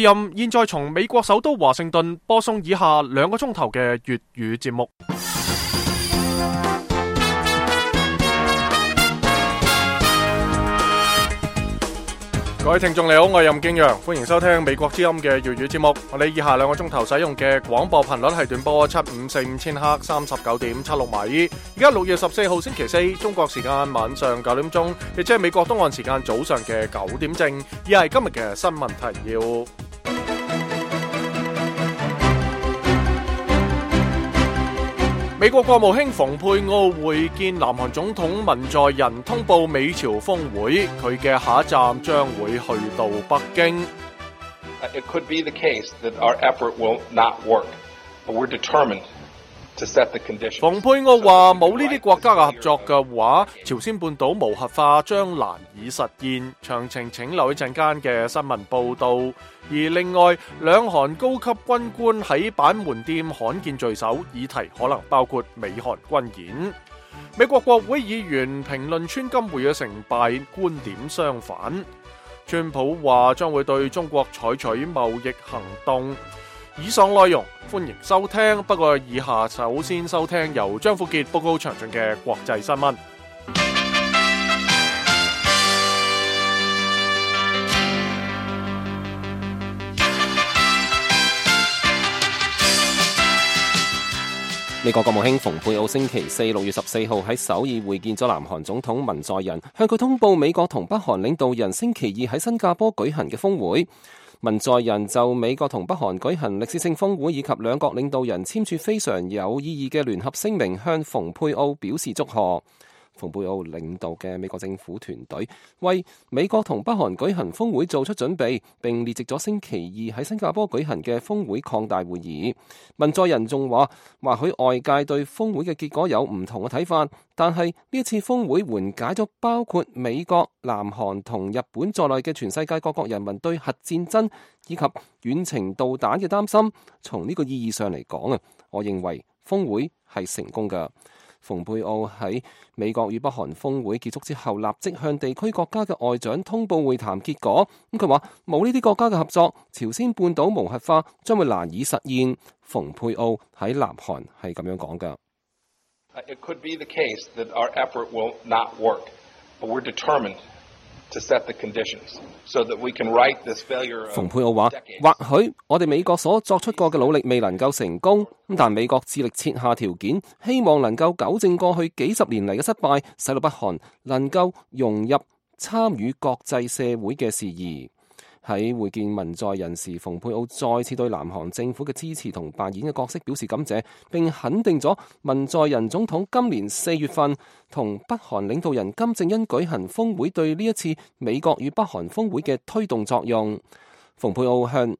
現在從美國首都華盛頓播送以下2個鐘頭嘅粵語節目。各位聽眾你好，我係任敬陽，歡迎收聽美國之音嘅粵語節目。我哋以下2個鐘頭使用嘅廣播頻率係短波7545000赫39.76米。而家6月14號星期4，中國時間晚上9點鐘，亦即係美國東岸時間早上嘅9點正。以下係今日嘅新聞提要。美國國務卿蓬佩奧會見南韓總統文在寅，通報美朝峰會，佢嘅下一站將會去到北京。It could be the case that our effort will not work, but we're determined to set the conditions. 蓬佩奧話冇呢啲國家嘅合作嘅話，朝鮮半島無核化將難以實現。詳情請留意陣間嘅新聞報道。而另外，兩韓高級軍官喺板門店罕見聚首，議題可能包括美韓軍演。美國國會議員評論川金會嘅成敗，觀點相反。川普話將會對中國採取貿易行動。以上內容歡迎收聽，不過以下首先收聽由張富傑報告詳盡嘅國際新聞。美國國務卿蓬佩奧星期4 6月14號喺首爾會見咗南韓總統文在寅，向佢通報美國同北韓領導人星期2喺新加坡舉行嘅峰會。文在寅就美國同北韓舉行歷史性峰會以及兩國領導人簽署非常有意義嘅聯合聲明，向蓬佩奧表示祝賀。蓬佩奧領導嘅美國政府團隊為美國同北韓舉行峰會做出準備，並列席咗星期2喺新加坡舉行嘅峰會擴大會議。文在寅仲話，或許外界對峰會嘅結果有唔同嘅睇法，但係呢一次峰會緩解咗包括美國、南韓同日本在內嘅全世界各國人民對核戰爭以及遠程導彈嘅擔心。從呢個意義上嚟講啊，我認為峰會係成功㗎。蓬佩奧喺美國與北韓峰會結束之後，立即向地區國家嘅外長通報會談結果。佢話冇呢啲國家嘅合作，朝鮮半島無核化將會難以實現。蓬佩奧喺南韓係咁樣講㗎。It could be the case that our effort will not work, but we're determined to set the conditions so that we can right this failure. 蓬佩奧話，或許我哋美國所作出過嘅努力未能夠成功，但美國致力設下條件，希望能夠糾正過去幾十年嚟嘅失敗，使到北韓能夠融入參與國際社會嘅事宜。喺會見文在寅時，蓬佩奧再次對南韓政府嘅支持同扮演嘅角色表示感謝，並肯定咗文在寅總統今年4月份同北韓領導人金正恩舉行峰會對呢一次美國與北韓峰會嘅推動作用。蓬佩奧向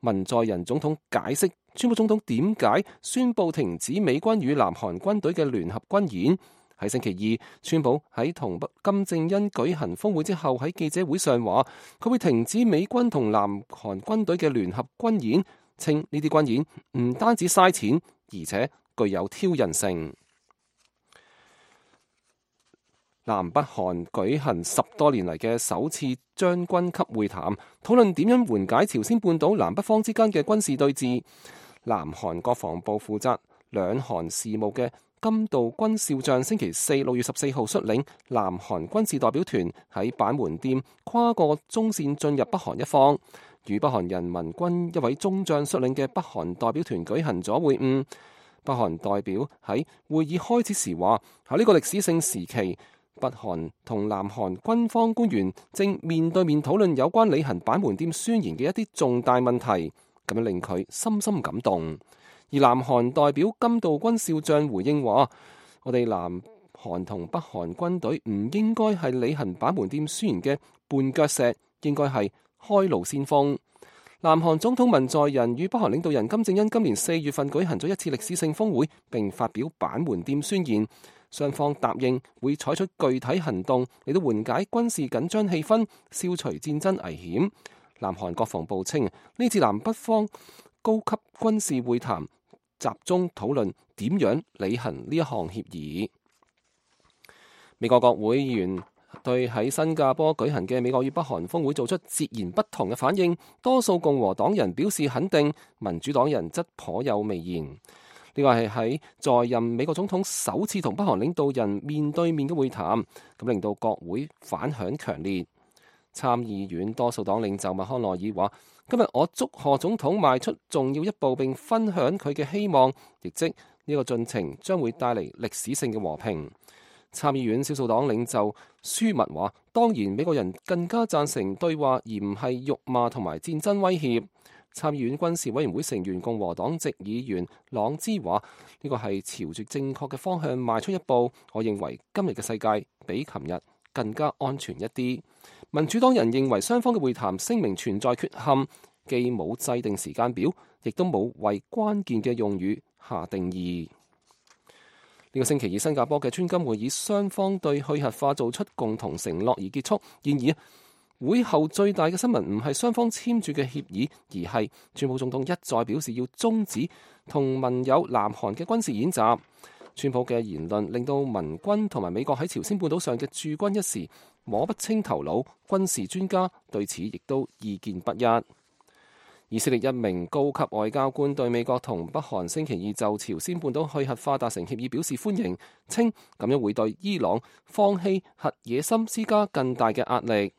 文在寅總統解釋川普總統點解宣布停止美軍與南韓軍隊嘅聯合軍演。喺星期2，川普喺同金正恩舉行峰會之後，喺記者會上話佢會停止美軍同南韓軍隊嘅聯合軍演，稱呢啲軍演唔單止嘥錢，而且具有挑釁性。南北韓舉行10多年嚟嘅首次將軍級會談，討論點樣緩解朝鮮半島南北方之間嘅軍事對峙。南韓國防部負責兩韓事務嘅金道軍少將星期4 6月14號率領南韓軍事代表團喺板門店跨過中線進入北韓一方，與北韓人民軍一位中將率領嘅北韓代表團舉行咗會晤。北韓代表喺會議開始時話，喺呢個歷史性時期，北韓同南韓軍方官員正面對面討論有關履行板門店宣言嘅一啲重大問題，咁樣令佢深深感動。而南韓代表金道軍少將回應話，我哋南韓同北韓軍隊唔應該係履行板門店宣言嘅絆腳石，應該係開路先鋒。南韓總統文在寅與北韓領導人金正恩今年4月份舉行咗一次歷史性峰會，並發表板門店宣言，雙方答應會採取具體行動嚟到緩解軍事緊張氣氛，消除戰爭危險。南韓國防部稱，呢次南北方高級軍事會談集中討論點樣履行呢一項協議。美國國會議員對喺新加坡舉行嘅美國與北韓峰會做出截然不同嘅反應，多數共和黨人表示肯定，民主黨人則頗有微言。呢個係喺在任美國總統首次同北韓領導人面對面嘅會談，咁令到國會反響強烈。參議院多數黨領袖麥康奈爾話：今日我祝賀總統邁出重要一步，並分享佢嘅希望，亦即呢個進程將會帶嚟歷史性嘅和平。參議院少數黨領袖舒密話：當然美國人更加贊成對話，而唔係辱罵同埋戰爭威脅。參議院軍事委員會成員共和黨籍議員朗茲話：呢個係朝住正確嘅方向邁出一步。我認為今日嘅世界比琴日更加安全一啲。民主黨人認為雙方嘅會談聲明存在缺陷，既冇制定時間表，亦都冇為關鍵嘅用語下定義。呢個星期以新加坡嘅川金會議，雙方對去核化做出共同承諾而結束。然而會後最大嘅新聞唔係雙方簽署嘅協議，而係川普總統一再表示要終止同盟友南韓嘅軍事演習。川普嘅言論令到盟軍同埋美國喺朝鮮半島上嘅駐軍一時摸不清頭腦，軍事專家對此亦都意見不一。以色列一名高級外交官對美國同北韓星期二就朝鮮半島去核化達成協議表示歡迎，稱咁樣會對伊朗放棄核野心施加更大嘅壓力。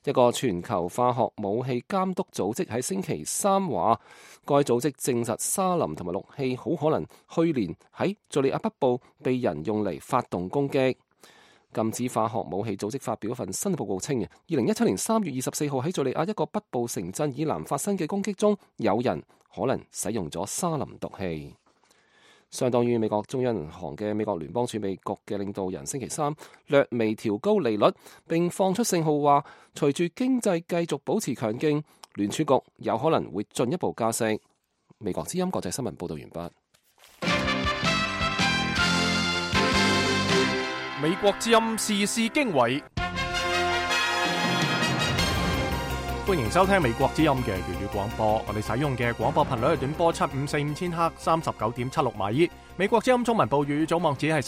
一個全球化學武器監督組織喺星期三話，該組織證實沙林同埋氯氣好可能去年喺敘利亞北部被人用嚟發動攻擊。禁止化學武器組織發表一份新報告稱，2017年3月24號喺敘利亞一個北部城鎮以南發生嘅攻擊中，有人可能使用咗沙林毒氣。相當於美國中央銀行嘅美國聯邦儲備局嘅領導人星期三略微調高利率，並放出信號話，隨住經濟繼續保持強勁，聯儲局有可能會進一步加息。美國之音國際新聞報道完畢。美國之音時事經緯，歡迎收聽美國之音嘅粵語廣播。我哋使用嘅廣播頻率係短波7545千赫39.76米。美國之音中文部粵語總網址係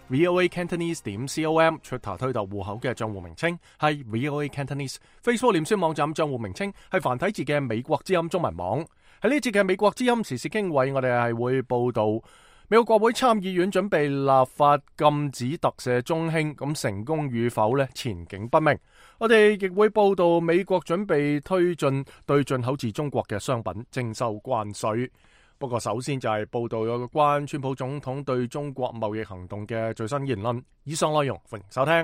3w.voacantonese.com。Twitter 推特戶口嘅賬戶名稱係 VOA Cantonese。Facebook 臉書網站賬戶名稱係繁體字嘅美國之音中文網。喺呢節嘅美國之音時事經緯，我哋係會報道美國國會參議院準備立法禁止特赦中興，咁成功與否呢？前景不明。我哋亦會報道美國準備推進對進口自中國嘅商品徵收關稅。不過首先就係報道有關川普總統對中國貿易行動嘅最新言論。以上內容歡迎收聽。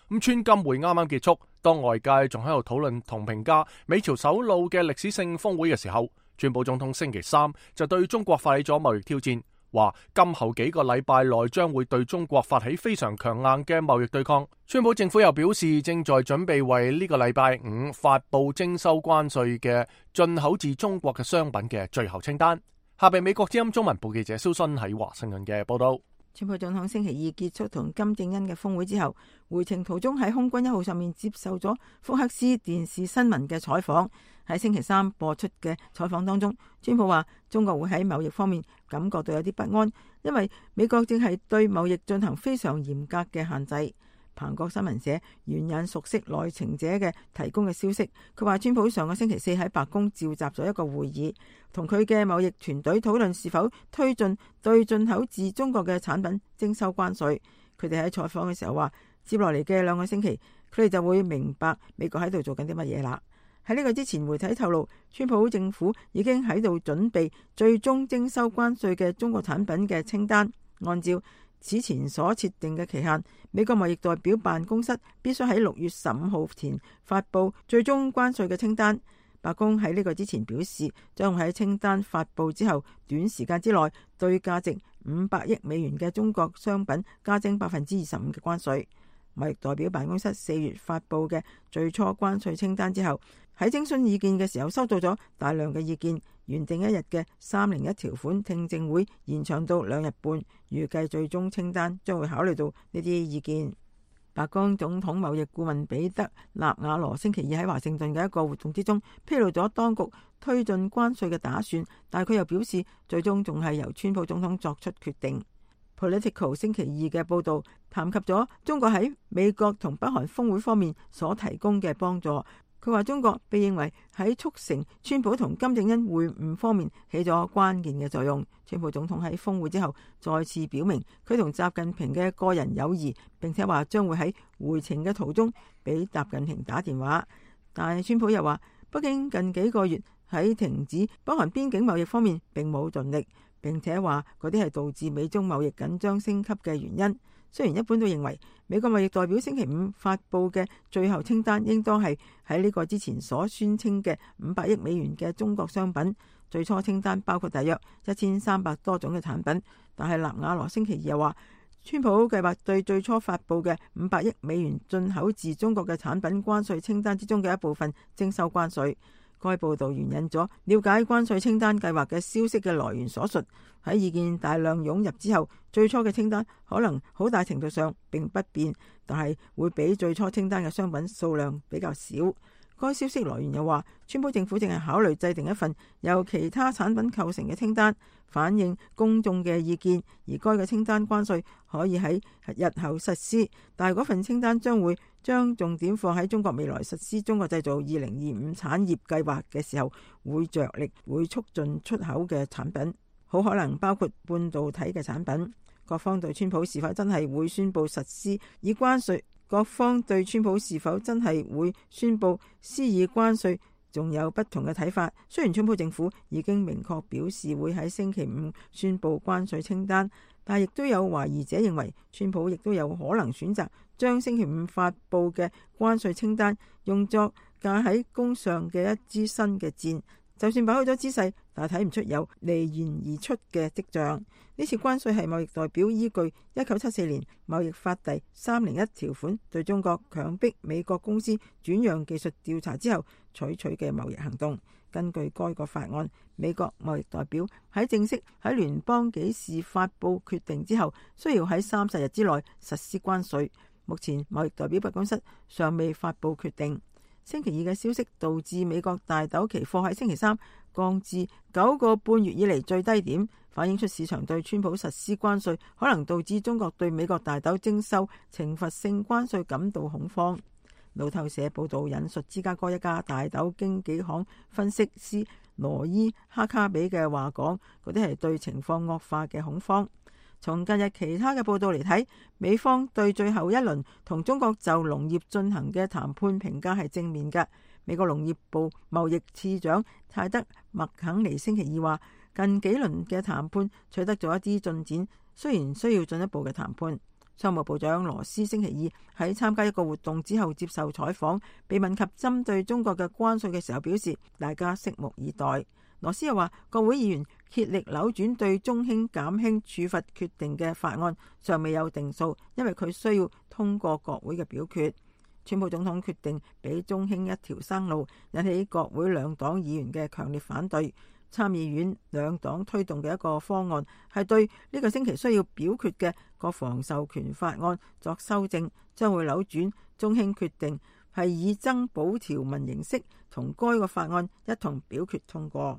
咁川金會啱啱結束，當外界仲喺度討論同評價美朝首腦嘅歷史性峰會嘅時候，川普總統星期三就對中國發起咗貿易挑戰。話今後幾個禮拜內將會對中國發起非常強硬嘅貿易對抗。川普政府又表示正在準備為呢個禮拜5發布徵收關稅嘅進口自中國嘅商品嘅最後清單。下邊美國之音中文部記者蕭sun喺華盛頓嘅報道。川普總統星期二結束同金正恩嘅峰會之後，回程途中喺空軍1號上面接受咗福克斯電視新聞嘅採訪。喺星期三播出嘅採訪當中，川普話中國會喺貿易方面感覺到有啲不安，因為美國正係對貿易進行非常嚴格嘅限制。彭博新聞社援引熟悉內情者嘅提供嘅消息，佢話川普上個星期四喺白宮召集咗一個會議，同佢嘅貿易團隊討論是否推進對進口自中國嘅產品徵收關稅。佢哋喺採訪嘅時候話，接落嚟嘅2個星期，佢哋就會明白美國喺度做緊啲乜嘢啦。喺呢個之前，媒體透露，川普政府已經喺度準備最終徵收關稅嘅中國產品嘅清單。按照此前所設定嘅期限，美國貿易代表辦公室必須喺6月15號前發布最終關稅嘅清單。白宮喺呢個之前表示，將會喺清單發布之後短時間之內對價值500億美元嘅中國商品加徵25%嘅關稅。貿易代表辦公室4月發布嘅最初關稅清單之後，喺徵詢意見嘅時候收到咗大量嘅意見。原定1日嘅301條款聽證會延長到2日半，預計最終清單將會考慮到呢啲意見。白宮總統貿易顧問彼得納瓦羅星期二喺華盛頓嘅一個活動之中披露咗當局推進關稅嘅打算，但佢又表示最終仲係由川普總統作出決定。Political 星期二嘅報導談及咗中國喺美國同北韓峰會方面所提供嘅幫助。佢話中國被認為喺促成川普同金正恩會晤方面起咗關鍵嘅作用。川普總統喺峰會之後再次表明佢同習近平嘅個人友誼，並且話將會喺回程嘅途中俾習近平打電話。但係川普又話北京近幾個月喺停止北韓邊境貿易方面並冇盡力，並且話嗰啲係導致美中貿易緊張升級嘅原因。雖然一般都認為美國貿易代表星期五發佈嘅最後清單應當係喺呢個之前所宣稱嘅500億美元嘅中國商品，最初清單包括大約1300多種嘅產品，但係納瓦羅星期二又話川普計劃對最初發佈嘅500億美元進口自中國嘅產品關稅清單之中嘅一部分徵收關稅。該報導援引咗了解關稅清單計劃嘅消息嘅來源所述，喺意見大量湧入之後，最初嘅清單可能好大程度上並不變，但係會比最初清單嘅商品數量比較少。該消息來源又話，川普政府正係考慮制定一份由其他產品構成嘅清單，反映公眾嘅意見，而該嘅清單關稅可以喺日後實施，但係嗰份清單將重點放喺中國未來實施中國製造2025產業計劃嘅時候，會着力會促進出口嘅產品，好可能包括半導體嘅產品。各方對川普是否真係會宣布實施以關稅仲有不同嘅睇法。雖然川普政府已經明確表示會喺星期五宣布關稅清單，但亦都有懷疑者認為川普亦都有可能選擇將星期五發佈嘅關稅清單用作架喺弓上嘅一支新嘅箭。就算擺好咗姿勢，但係睇唔出有離弦而出嘅跡象。呢次關稅係貿易代表依據1974年貿易法第301條款對中國強迫美國公司轉讓技術調查之後採取嘅貿易行動。根據該個法案，美國貿易代表喺正式喺聯邦紀事發佈決定之後，需要喺30日之內實施關稅。目前貿易代表辦公室尚未發佈決定。星期二嘅消息導致美國大豆期貨喺星期三降至9個半月以嚟最低點，反映出市場對川普實施關稅可能導致中國對美國大豆徵收懲罰性關稅感到恐慌。路透社報道引述芝加哥一家大豆經紀行分析師羅伊哈卡比嘅話講，嗰啲係對情況惡化嘅恐慌。從近日其他嘅報道嚟睇，美方對最後一輪同中國就農業進行嘅談判評價係正面嘅。美國農業部貿易次長泰德麥肯尼星期二話，近幾輪嘅談判取得咗一啲進展，雖然需要進一步嘅談判。商務部長羅斯星期二喺參加一個活動之後接受採訪，被問及針對中國嘅關稅嘅時候，表示大家拭目以待。羅斯又話，國會議員竭力扭轉對中興減輕處罰決定嘅法案尚未有定數，因為佢需要通過國會嘅表決。川普總統決定俾中興一條生路，引起國會兩黨議員嘅強烈反對。參議院兩黨推動嘅一個方案係對呢個星期需要表決嘅國防授權法案作修正，將會扭轉中興決定係以增補條文形式同該個法案一同表決通過。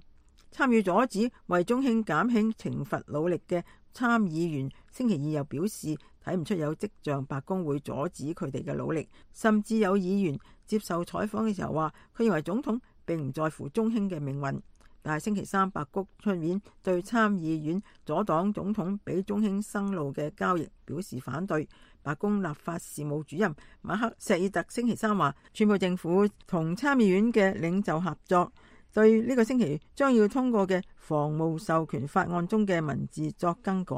參與阻止為中興減輕懲罰努力嘅參議員星期二又表示，睇唔出有跡象白宮會阻止佢哋嘅努力，甚至有議員接受採訪嘅時候話，佢認為總統並唔在乎中興嘅命運。但係星期三白宮出面對參議院阻擋總統俾中興生路嘅交易表示反對。白宮立法事務主任馬克錫爾特星期三話，川普政府同參議院嘅領袖合作，對呢個星期將要通過嘅防務授權法案中嘅文字作更改。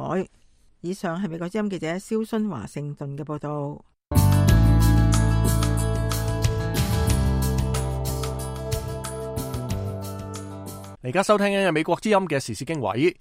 以上係美國之音記者蕭薰華盛頓嘅報道。而家收聽緊嘅美國之音嘅時事經緯。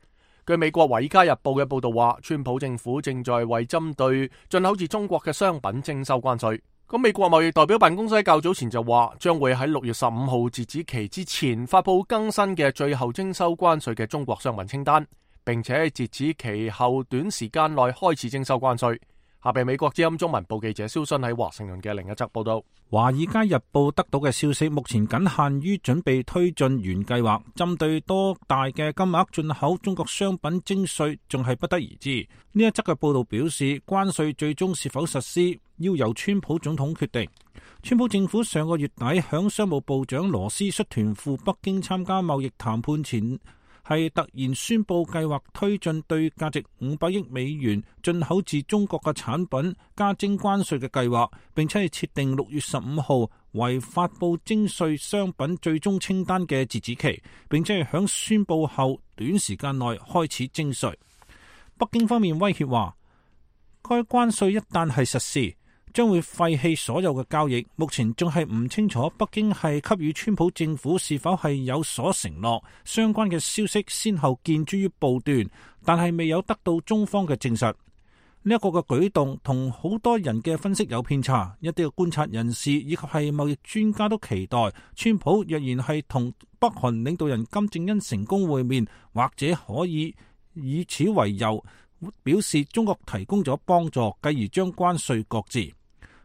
據美國《華爾街日報》嘅報道話，川普政府正在為針對進口自中國嘅商品徵收關稅。咁美國貿易代表辦公室較早前就話，將會喺6月15號截止期之前發佈更新嘅最後徵收關稅嘅中國商品清單，並且截止期後短時間內開始徵收關稅。下邊美國之音中文部記者蕭信喺華盛頓嘅另一則報道。華爾街日報得到嘅消息，目前僅限於準備推進原計劃，針對多大嘅金額進口中國商品徵稅，仲係不得而知。呢一則嘅報道表示，關稅最終是否實施，要由川普總統決定。川普政府上個月底響商務部長羅斯率團赴北京參加貿易談判前，係突然宣布計劃推進對價值500億美元進口自中國嘅產品加徵關稅嘅計劃，並且係設定6月15號為發佈徵稅商品最終清單嘅截止期，並且係響宣布後短時間內開始徵稅。北京方面威脅話，該關稅一旦係實施，將會廢棄所有嘅交易。目前仲係唔清楚北京係給予川普政府是否係有所承諾，相關嘅消息先後見諸於報端，但係未有得到中方嘅證實。呢一個嘅舉動同好多人嘅分析有偏差，一啲嘅觀察人士以及係貿易專家都期待川普若然係同北韓領導人金正恩成功會面，或者可以以此為由表示中國提供咗幫助，繼而將關稅擱置。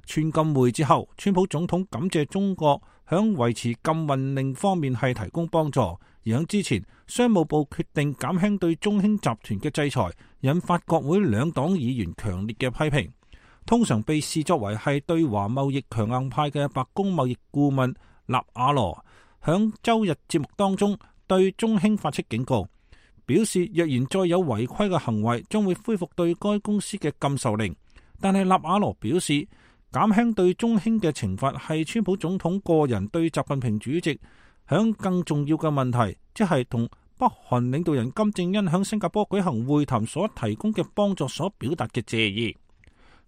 川禁會之後，川普總統感謝中國響維持禁運令方面係提供幫助，而響之前商務部決定減輕對中興集團嘅制裁，引發國會兩黨議員強烈嘅批評。通常被視作為係對華貿易強硬派嘅白宮貿易顧問納瓦羅響周日節目當中對中興發出警告，表示若然再有違規嘅行為，將會恢復對該公司嘅禁售令。但係納瓦羅表示，減輕對中興嘅懲罰係川普總統個人對習近平主席響更重要嘅問題，即係同北韓領導人金正恩響新加坡舉行會談所提供嘅幫助所表達嘅謝意。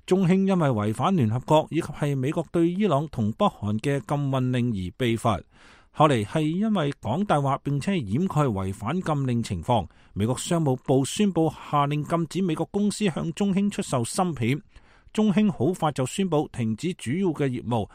中興因為違反聯合國以及係美國對伊朗同北韓嘅禁運令而被罰，後嚟係因為講大話並且係掩蓋違反禁令情況，美國商務部宣布下令禁止美國公司向中興出售芯片。中興好快就宣布停止主要嘅業務，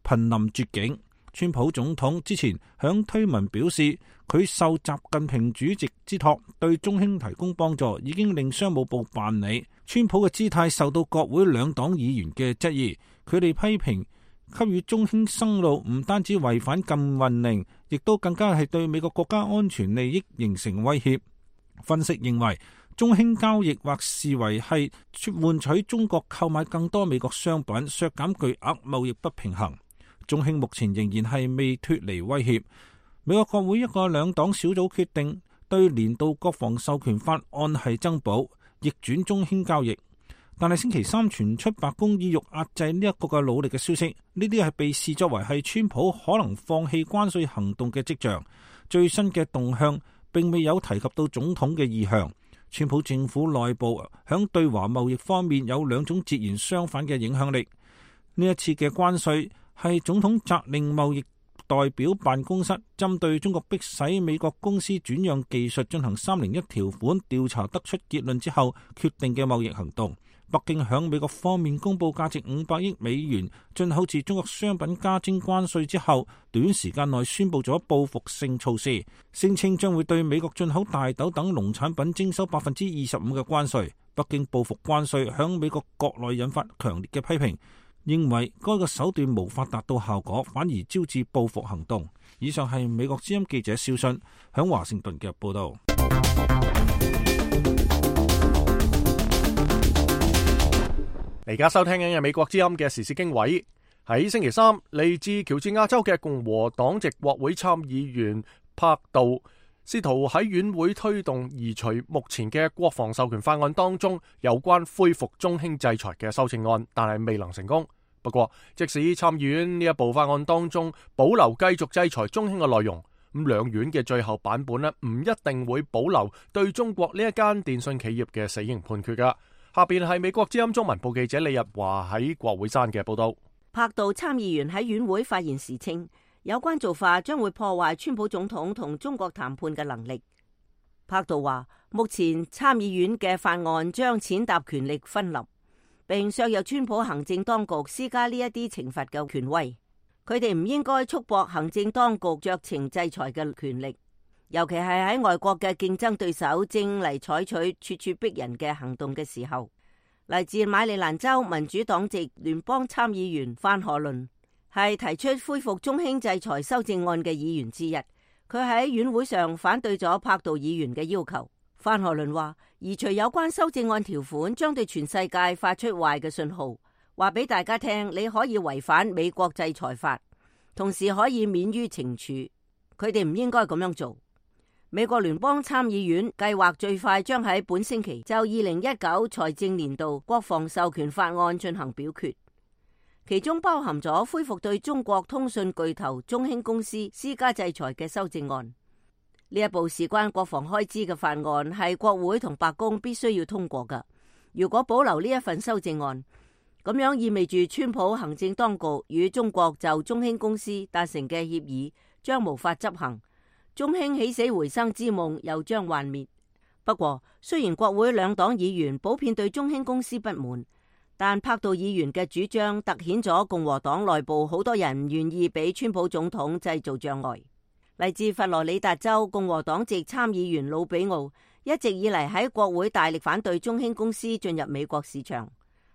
瀕臨絕境。川普總統之前響推文表示，佢受習近平主席之託對中興提供幫助，已經令商務部辦理。川普嘅姿態受到國會兩黨議員嘅質疑，佢哋批評給予中興生路唔單止違反禁運令，亦都更加係對美國國家安全利益形成威脅。分析認為，中興交易或視為係換取中國購買更多美國商品，削減巨額貿易不平衡。中興目前仍然係未脫離威脅。美國國會一個兩黨小組決定對年度國防授權法案係增補，逆轉中興交易。但係星期三傳出白宮意欲壓制呢一個嘅努力嘅消息，呢啲係被視作為係川普可能放棄關稅行動嘅跡象。最新嘅動向並未有提及到總統嘅意向。川普政府內部響對華貿易方面有兩種截然相反嘅影響力。呢一次嘅關稅係總統責令貿易代表辦公室針對中國迫使美國公司轉讓技術進行301條款調查得出結論之後決定嘅貿易行動。北京響美國方面公布價值500億美元進口自中國商品加徵關稅之後，短時間內宣布咗報復性措施，聲稱將會對美國進口大豆等農產品徵收25%嘅關稅。北京報復關稅響美國國內引發強烈嘅批評，認為該個手段無法達到效果，反而招致報復行動。以上係美國之音記者肖信響華盛頓嘅報道。而家收聽緊嘅美國之音嘅時事經緯，喺星期三，嚟自喬治亞州嘅共和黨籍國會參議員柏杜試圖喺院會推動移除目前嘅國防授權法案當中有關恢復中興制裁嘅修正案，但係未能成功。不過，即使參議院呢一部法案當中保留繼續制裁中興嘅內容，咁兩院嘅最後版本呢，唔一定會保留對中國呢一間電信企業嘅死刑判決噶。下邊係美國之音中文部記者李日華喺國會山嘅報道。柏杜參議員喺院會發言時稱，有關做法將會破壞川普總統同中國談判嘅能力。柏杜話，目前參議院嘅法案將踐踏權力分立，並削弱川普行政當局施加呢一啲懲罰嘅權威。佢哋唔應該束縛行政當局酌情制裁嘅權力。尤其係喺外國嘅競爭對手正嚟採取咄咄逼人嘅行動嘅時候，嚟自馬里蘭州民主黨籍聯邦參議員范荷倫係提出恢復中興制裁修正案嘅議員之一。佢喺院會上反對咗柏杜議員嘅要求。范荷倫話，移除有關修正案條款將對全世界發出壞嘅信號，話俾大家聽你可以違反美國制裁法，同時可以免於懲處。佢哋唔應該咁樣做。美國聯邦參議院計劃最快將喺本星期就2019財政年度國防授權法案進行表決，其中包含咗恢復對中國通訊巨頭中興公司施加制裁嘅修正案。呢一部事關國防開支嘅法案係國會同白宮必須要通過㗎。如果保留呢一份修正案，咁樣意味住川普行政當局與中國就中興公司達成嘅協議將無法執行，中興起死回生之夢又將幻滅。不過，雖然國會兩黨議員普遍對中興公司不滿，但柏杜議員嘅主張凸顯咗共和黨內部好多人唔願意俾川普總統製造障礙。嚟自佛羅里達州共和黨籍參議員魯比奧一直以嚟喺國會大力反對中興公司進入美國市場，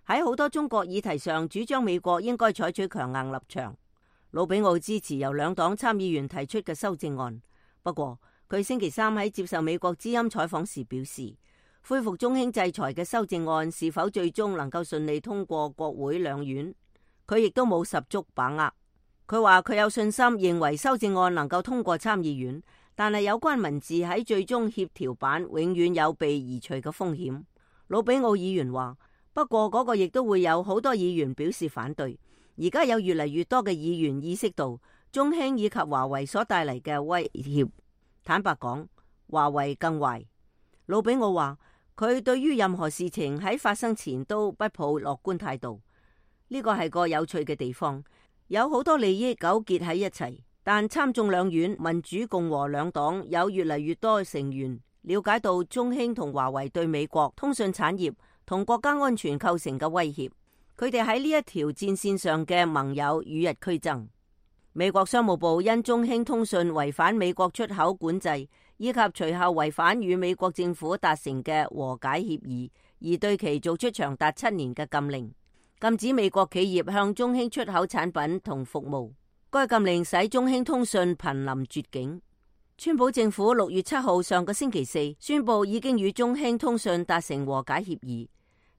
喺好多中國議題上主張美國應該採取強硬立場。魯比奧支持由兩黨參議員提出嘅修正案。不過，佢星期三喺接受美國之音採訪時表示，恢復中興制裁嘅修正案是否最終能夠順利通過國會兩院，佢亦都冇十足把握。佢話佢有信心認為修正案能夠通過參議院，但係有關文字喺最終協調版永遠有被移除嘅風險。魯比奧議員話，不過嗰個亦都會有好多議員表示反對。而家有越嚟越多嘅議員意識到中興以及華為所帶嚟嘅威脅。坦白講，華為更壞。魯比奧話，佢對於任何事情喺發生前都不抱樂觀態度。呢個係個有趣嘅地方，有好多利益糾結喺一齊，但參眾兩院民主共和兩黨有越嚟越多成員了解到中興同華為對美國通訊產業同國家安全構成嘅威脅。佢哋喺呢一條戰線上嘅盟友與日俱增。美國商務部因中興通訊違反美國出口管制，以及隨後違反與美國政府達成嘅和解協議，而對其做出長達7年嘅禁令，禁止美國企業向中興出口產品同服務。該禁令使中興通訊瀕臨絕境。川普政府6月7號上個星期四宣布已經與中興通訊達成和解協議。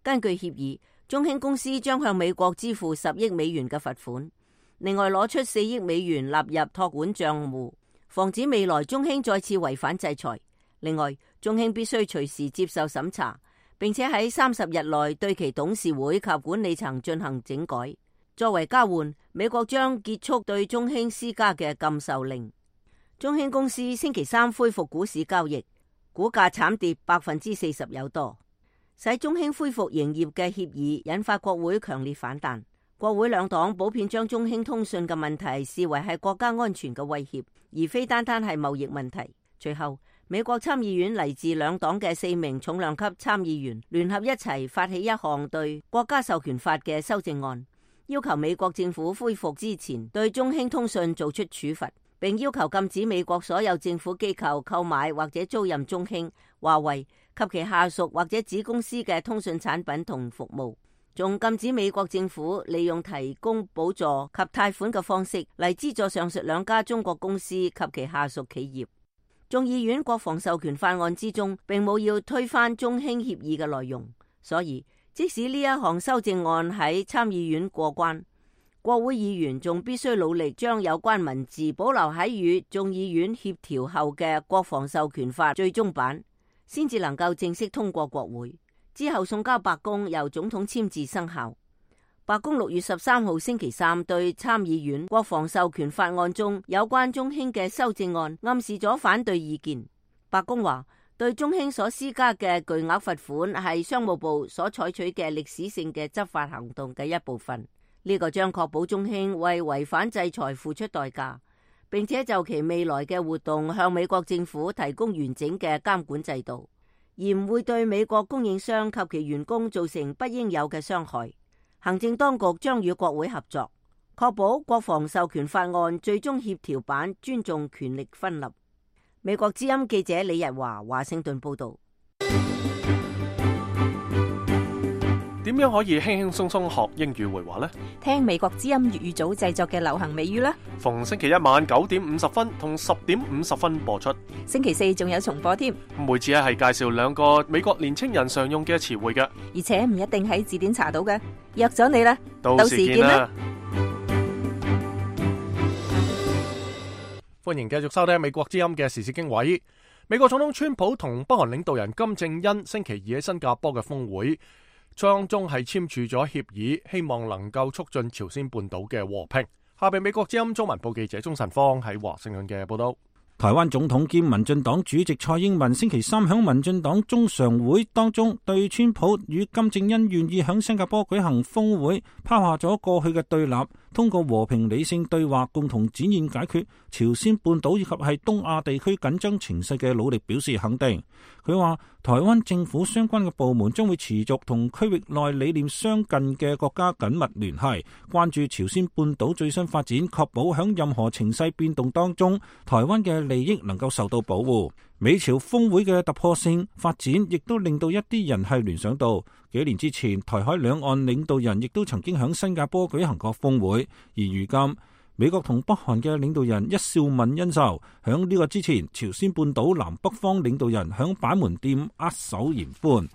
根據協議，中興公司將向美國支付10億美元嘅罰款，另外攞出4億美元納入託管賬戶，防止未來中興再次違反制裁。另外，中興必須隨時接受審查，並且喺30日內對其董事會及管理層進行整改。作為交換，美國將結束對中興施加嘅禁售令。中興公司星期三恢復股市交易，股價慘跌40%有多。使中興恢復營業嘅協議引發國會強烈反彈，國會兩黨普遍將中興通訊嘅問題視為係國家安全嘅威脅，而非單單係貿易問題。隨後，美國參議院嚟自兩黨嘅4名重量級參議員聯合一齊發起一項對國家授權法嘅修正案，要求美國政府恢復之前對中興通訊做出處罰，並要求禁止美國所有政府機構購買或者租賃中興、華為及其下屬或者子公司嘅通訊產品同服務，仲禁止美國政府利用提供補助及貸款嘅方式嚟資助上述兩家中國公司及其下屬企業。眾議院國防授權法案之中並冇要推翻中興協議嘅內容，所以即使呢一項修正案喺參議院過關，國會議員仲必須努力將有關文字保留喺與眾議院協調後嘅國防授權法最終版，先至能夠正式通過國會，之後送交白宮由總統簽字生效。白宮6月13號星期三對參議院國防授權法案中有關中興嘅修正案暗示咗反對意見。白宮話，對中興所施加嘅巨額罰款係商務部所採取嘅歷史性嘅執法行動嘅一部分，呢個將確保中興為違反制裁付出代價，並且就其未來嘅活動向美國政府提供完整嘅監管制度，而唔會對美國供應商及其員工造成不應有嘅傷害。行政當局將與國會合作，確保國防授權法案最終協調版尊重權力分立。美國之音記者李日華華盛頓報道。點樣可以輕輕鬆鬆學英語會話呢？聽美國之音粵語組製作嘅流行美語啦。逢星期一晚9:50同10:50播出。星期四仲有重播添。每次係介紹2個美國年青人常用嘅詞彙嘅，而且唔一定喺字典查到嘅。約咗你啦，到時見啦。歡迎繼續收聽美國之音嘅時事經緯。美國總統川普同北韓領導人金正恩星期二喺新加坡嘅峰會當中係簽署咗協議，希望能夠促進朝鮮半島嘅和平。下邊美國之音中文部記者鍾晨芳喺華盛頓嘅報道。台灣總統兼民進黨主席蔡英文星期三響民進黨中常會當中，對川普與金正恩願意響新加坡舉行峰會拋下咗過去嘅對立，通過和平理性對話共同展現解決朝鮮半島以及係東亞地區緊張情勢嘅努力表示肯定。佢話台灣政府相關嘅部門將會持續同區域內理念相近嘅國家緊密聯繫，關注朝鮮半島最新發展，確保響任何情勢變動當中，台灣嘅利益能夠受到保護。美朝峰會嘅突破性發展，亦都令到一啲人係聯想到幾年之前台海兩岸領導人亦都曾經響新加坡舉行過峰會，而如今美國同北韓嘅領導人一笑泯恩仇，響呢個之前朝鮮半島南北方領導人響板門店握手言歡。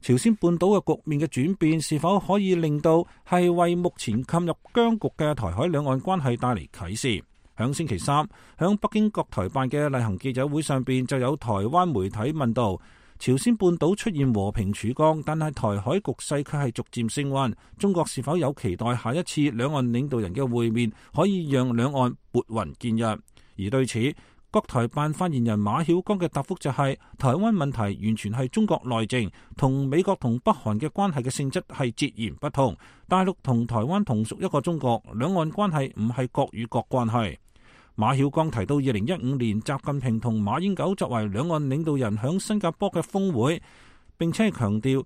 朝鮮半島嘅局面嘅轉變是否可以令到係為目前陷入僵局嘅台海兩岸關係帶嚟啟示？響星期三，響北京國台辦嘅例行記者會上邊，就有台灣媒體問到朝鮮半島出現和平曙光，但係台海局勢卻係逐漸升溫，中國是否有期待下一次兩岸領導人嘅會面可以讓兩岸撥雲見日？而對此，國台辦發言人馬曉光嘅答覆就係台灣問題完全係中國內政，同美國同北韓嘅關係嘅性質係截然不同。大陸同台灣同屬一個中國，兩岸關係唔係國與國關係。馬曉光提到2015年習近平同馬英九作為兩岸領導人響新加坡嘅峰會，並且係強調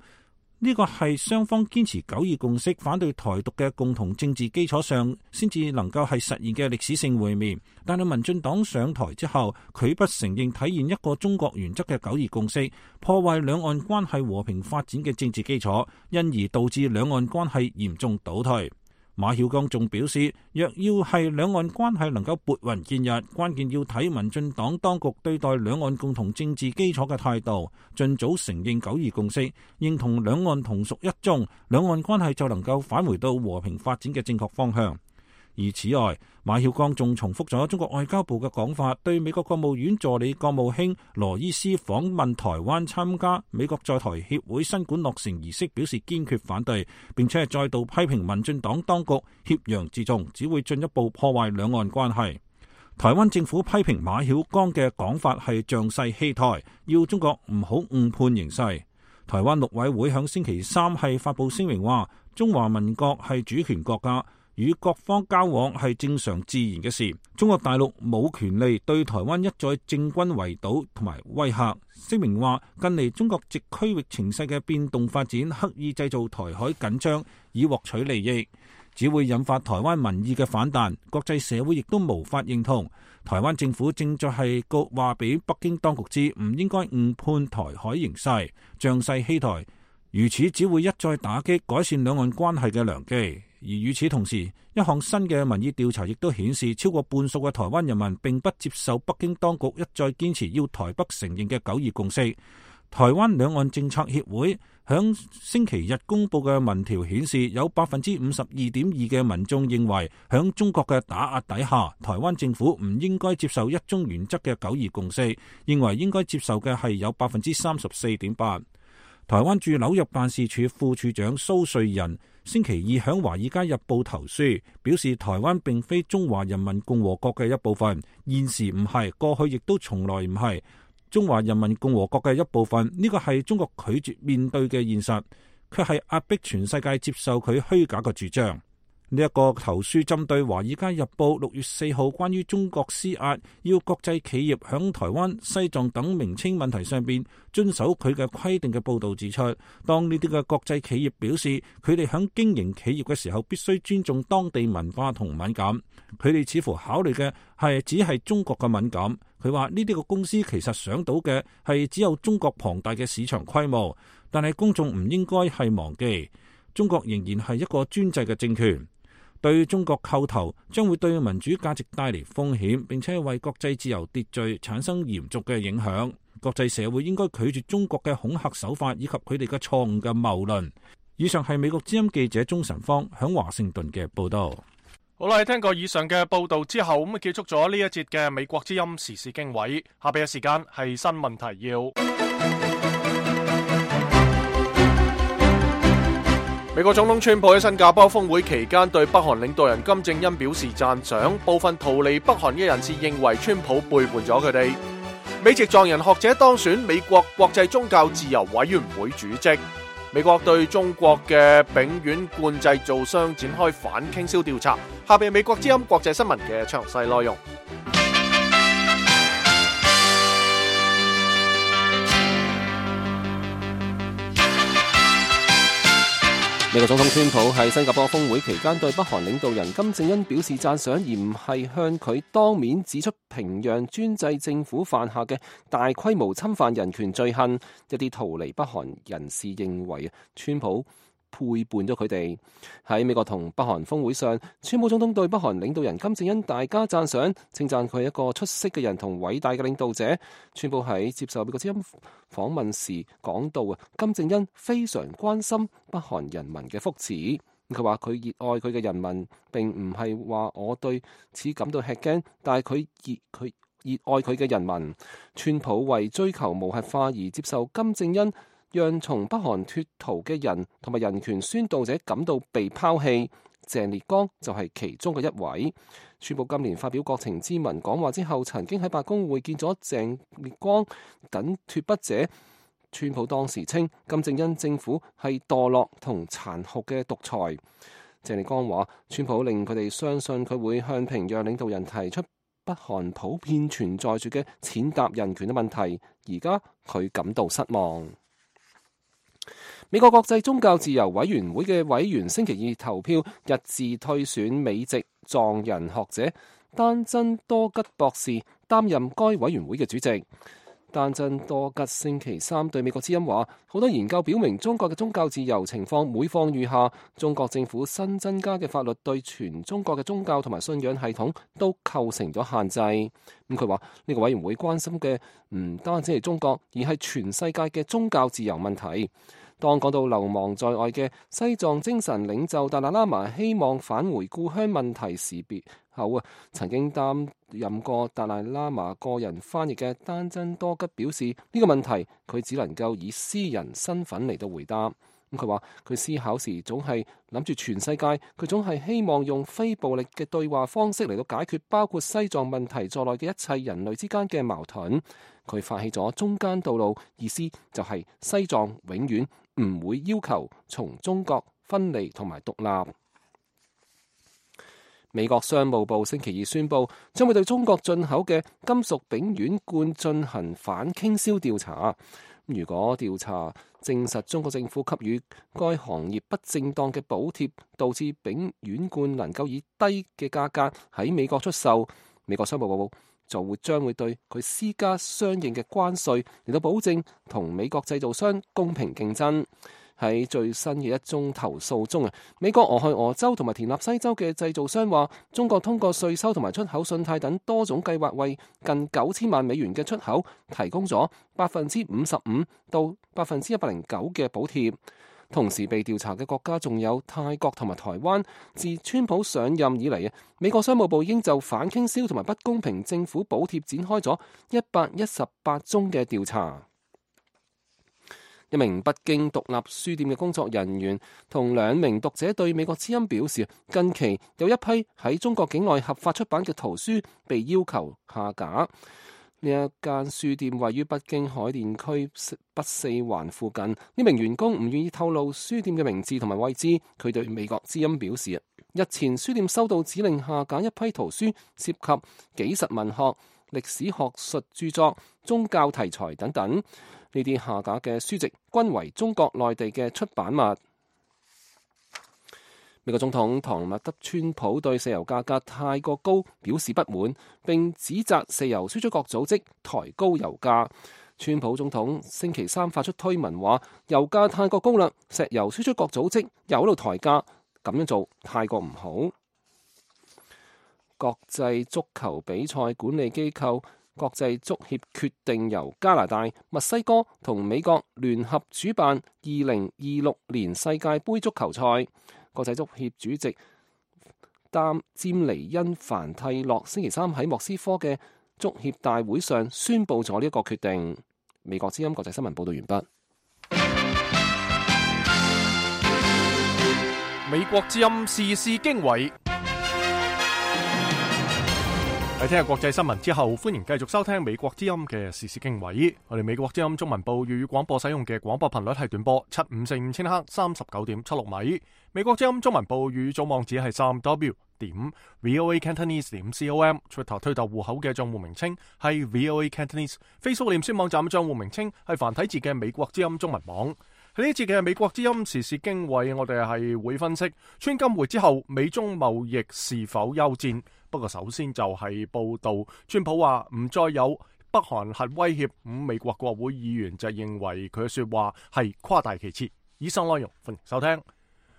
呢個係雙方堅持9·2共識、反對台獨嘅共同政治基礎上先至能夠係實現嘅歷史性會面。但係民進黨上台之後，拒不承認體現一個中國原則嘅9·2共識，破壞兩岸關係和平發展嘅政治基礎，因而導致兩岸關係嚴重倒退。馬曉光仲表示，若要係兩岸關係能夠撥雲見日，關鍵要睇民進黨當局對待兩岸共同政治基礎嘅態度，盡早承認9·2共識，認同兩岸同屬一中，兩岸關係就能夠返回到和平發展嘅正確方向。而此外，馬曉光仲重複咗中國外交部嘅講法，對美國國務院助理國務卿羅伊斯訪問台灣參加美國在台協會新館落成儀式表示堅決反對，並且係再度批評民進黨當局挾洋自重，只會進一步破壞兩岸關係。台灣政府批評馬曉光嘅講法係仗勢欺台，要中國唔好誤判形勢。台灣陸委會響星期三係發布聲明話，中華民國係主權國家，與各方交往係正常自然嘅事，中國大陸冇權利對台灣一再政軍圍堵同埋威嚇。聲明話，近嚟中國藉區域情勢嘅變動發展，刻意製造台海緊張以獲取利益，只會引發台灣民意嘅反彈，國際社會亦都無法認同。台灣政府正在係話俾北京當局知，唔應該誤判台海形勢，仗勢欺台，如此只會一再打擊改善兩岸關係嘅良機。而與此同時，一項新嘅民意調查亦都顯示，超過半數嘅台灣人民並不接受北京當局一再堅持要台北承認嘅9·2共識。台灣兩岸政策協會響星期日公布嘅民調顯示，有52.2%嘅民眾認為，響中國嘅打壓底下，台灣政府唔應該接受一中原則嘅9·2共識，認為應該接受嘅係有34.8%。台灣駐紐約辦事處副處長蘇瑞仁星期二響《華爾街日報》投書，表示台灣並非中華人民共和國嘅一部分，現時唔係，過去亦都從來唔係中華人民共和國嘅一部分。呢個係中國拒絕面對嘅現實，卻係壓迫全世界接受佢虛假嘅主張。呢一個投書針對《華爾街日報》6月4號關於中國施壓，要國際企業響台灣、西藏等名稱問題上邊遵守佢嘅規定嘅報導指出，當呢啲嘅國際企業表示佢哋響經營企業嘅時候必須尊重當地文化同敏感，佢哋似乎考慮嘅係只係中國嘅敏感。佢話呢啲個公司其實想到嘅係只有中國龐大嘅市場規模，但係公眾唔應該係忘記。中國仍然係一個專制嘅政權，對中國叩頭將會對民主價值帶嚟風險，並且為國際自由秩序產生嚴重嘅影響。國際社會應該拒絕中國嘅恐嚇手法以及佢哋嘅錯誤嘅謬論。以上係美國之音記者鍾晨芳響華盛頓嘅報道。好啦，聽過以上嘅報道之後，咁結束咗呢一節嘅美國之音時事經緯。下邊嘅時間係新聞提要。美國總統川普喺新加坡峰會期間對北韓領導人金正恩表示讚賞，部分逃離北韓嘅人士認為川普背叛咗佢哋。美籍藏人學者當選美國國際宗教自由委員會主席。美國對中國嘅丙烷罐製造商展開反傾銷調查。下邊美國之音國際新聞嘅詳細內容。美國總統川普喺新加坡峰會期間對北韓領導人金正恩表示讚賞，而唔係向佢當面指出平壤專制政府犯下嘅大規模侵犯人權罪行。一啲逃離北韓人士認為川普背叛咗佢哋。喺美國同北韓峰會上，川普總統對北韓領導人金正恩大加讚賞，稱讚佢係一個出色嘅人同偉大嘅領導者。川普喺接受美國之音訪問時講到金正恩非常關心北韓人民嘅福祉。佢話佢熱愛佢嘅人民，並唔係話我對此感到吃驚，但係佢熱愛佢嘅人民。川普為追求無核化而接受金正恩讓從北韓脫逃嘅人同埋人權宣導者感到被拋棄，鄭烈剛就係其中嘅一位。川普今年發表國情咨文講話之後，曾經喺白宮會見咗鄭烈剛等脫北者。川普當時稱金正恩政府係墮落同殘酷嘅獨裁。鄭烈剛話，川普令佢哋相信佢會向平壤領導人提出北韓普遍存在住嘅踐踏人權嘅問題，而家佢感到失望。美國國際宗教自由委員會嘅委員星期二投票一致推選美籍藏人學者丹真多吉博士擔任該委員會嘅主席。丹真多吉星期三對美國之音話，好多研究表明中國嘅宗教自由情況每況愈下，中國政府新增加嘅法律對全中國嘅宗教同埋信仰系統都構成咗限制。咁佢話呢個委員會關心嘅唔單止係中國，而係全世界嘅宗教自由問題。當講到流亡在外嘅西藏精神領袖達賴喇嘛希望返回故鄉問題時別後曾經擔任過達賴喇嘛個人翻譯嘅丹真多吉表示，呢個問題佢只能夠以私人身份嚟到回答。佢話佢思考時總係諗住全世界，佢總係希望用非暴力嘅對話方式嚟到解決包括西藏問題在內嘅一切人類之間嘅矛盾。佢發起咗中間道路，意思就係西藏永遠唔會要求從中國分離同埋獨立。美國商務部星期二宣布，將會對中國進口嘅金屬丙烷罐進行反傾銷調查。如果調查證實中國政府給予該行業不正當嘅補貼，導致丙烷罐能夠以低嘅價格喺美國出售，美國商務部就將會對佢施加相應嘅關稅，嚟到保證同美國製造商公平競爭。喺最新嘅一宗投訴中，美國俄亥俄州同埋田納西州嘅製造商話，中國通過稅收同埋出口信貸等多種計劃，為近9000萬美元嘅出口提供咗55%到109%嘅補貼。同時被調查嘅國家仲有泰國同埋台灣。自川普上任以嚟，美國商務部已經就反傾銷同埋不公平政府補貼展開咗118宗嘅調查。一名北京獨立書店嘅工作人員同2名讀者對美國之音表示，近期有一批喺中國境內合法出版嘅圖書被要求下架。呢一間書店位於北京海淀區北四環附近。呢名員工唔願意透露書店嘅名字同埋位置。佢對美國之音表示，日前書店收到指令下架一批圖書，涉及紀實文學、歷史學術著作、宗教題材等等。呢啲下架嘅書籍均為中國內地嘅出版物。美國總統唐納德川普對石油價格太過高表示不滿，並指責石油輸出國組織抬高油價。川普總統星期三發出推文話，油價太過高啦，石油輸出國組織又喺度抬價，咁樣做太過唔好。國際足球比賽管理機構國際足協決定由加拿大、墨西哥同美國聯合主辦2026年世界盃足球賽。國際足協主席詹尼恩凡蒂洛星期三喺莫斯科嘅足協大會上宣布咗呢一個決定。美國之音國際新聞報道完畢。美國之音時事經緯。喺聽日國際新聞之後，歡迎繼續收聽美國之音嘅時事經緯。我哋美國之音中文部粵語廣播使用嘅廣播頻率係短波7545千赫39.76米。美國之音中文部粵語組網址係3w.voacantonese.com。Twitter 推特戶口嘅賬戶名稱係 VOA Cantonese。Facebook 臉書網站嘅賬戶名稱係繁體字嘅美國之音中文網。喺呢一節嘅美國之音時事經緯，我哋係會分析川金會之後美中貿易是否休戰。不過首先就係報道，川普話唔再有北韓核威脅，美國國會議員就認為佢嘅說話係誇大其詞。以上內容歡迎收聽。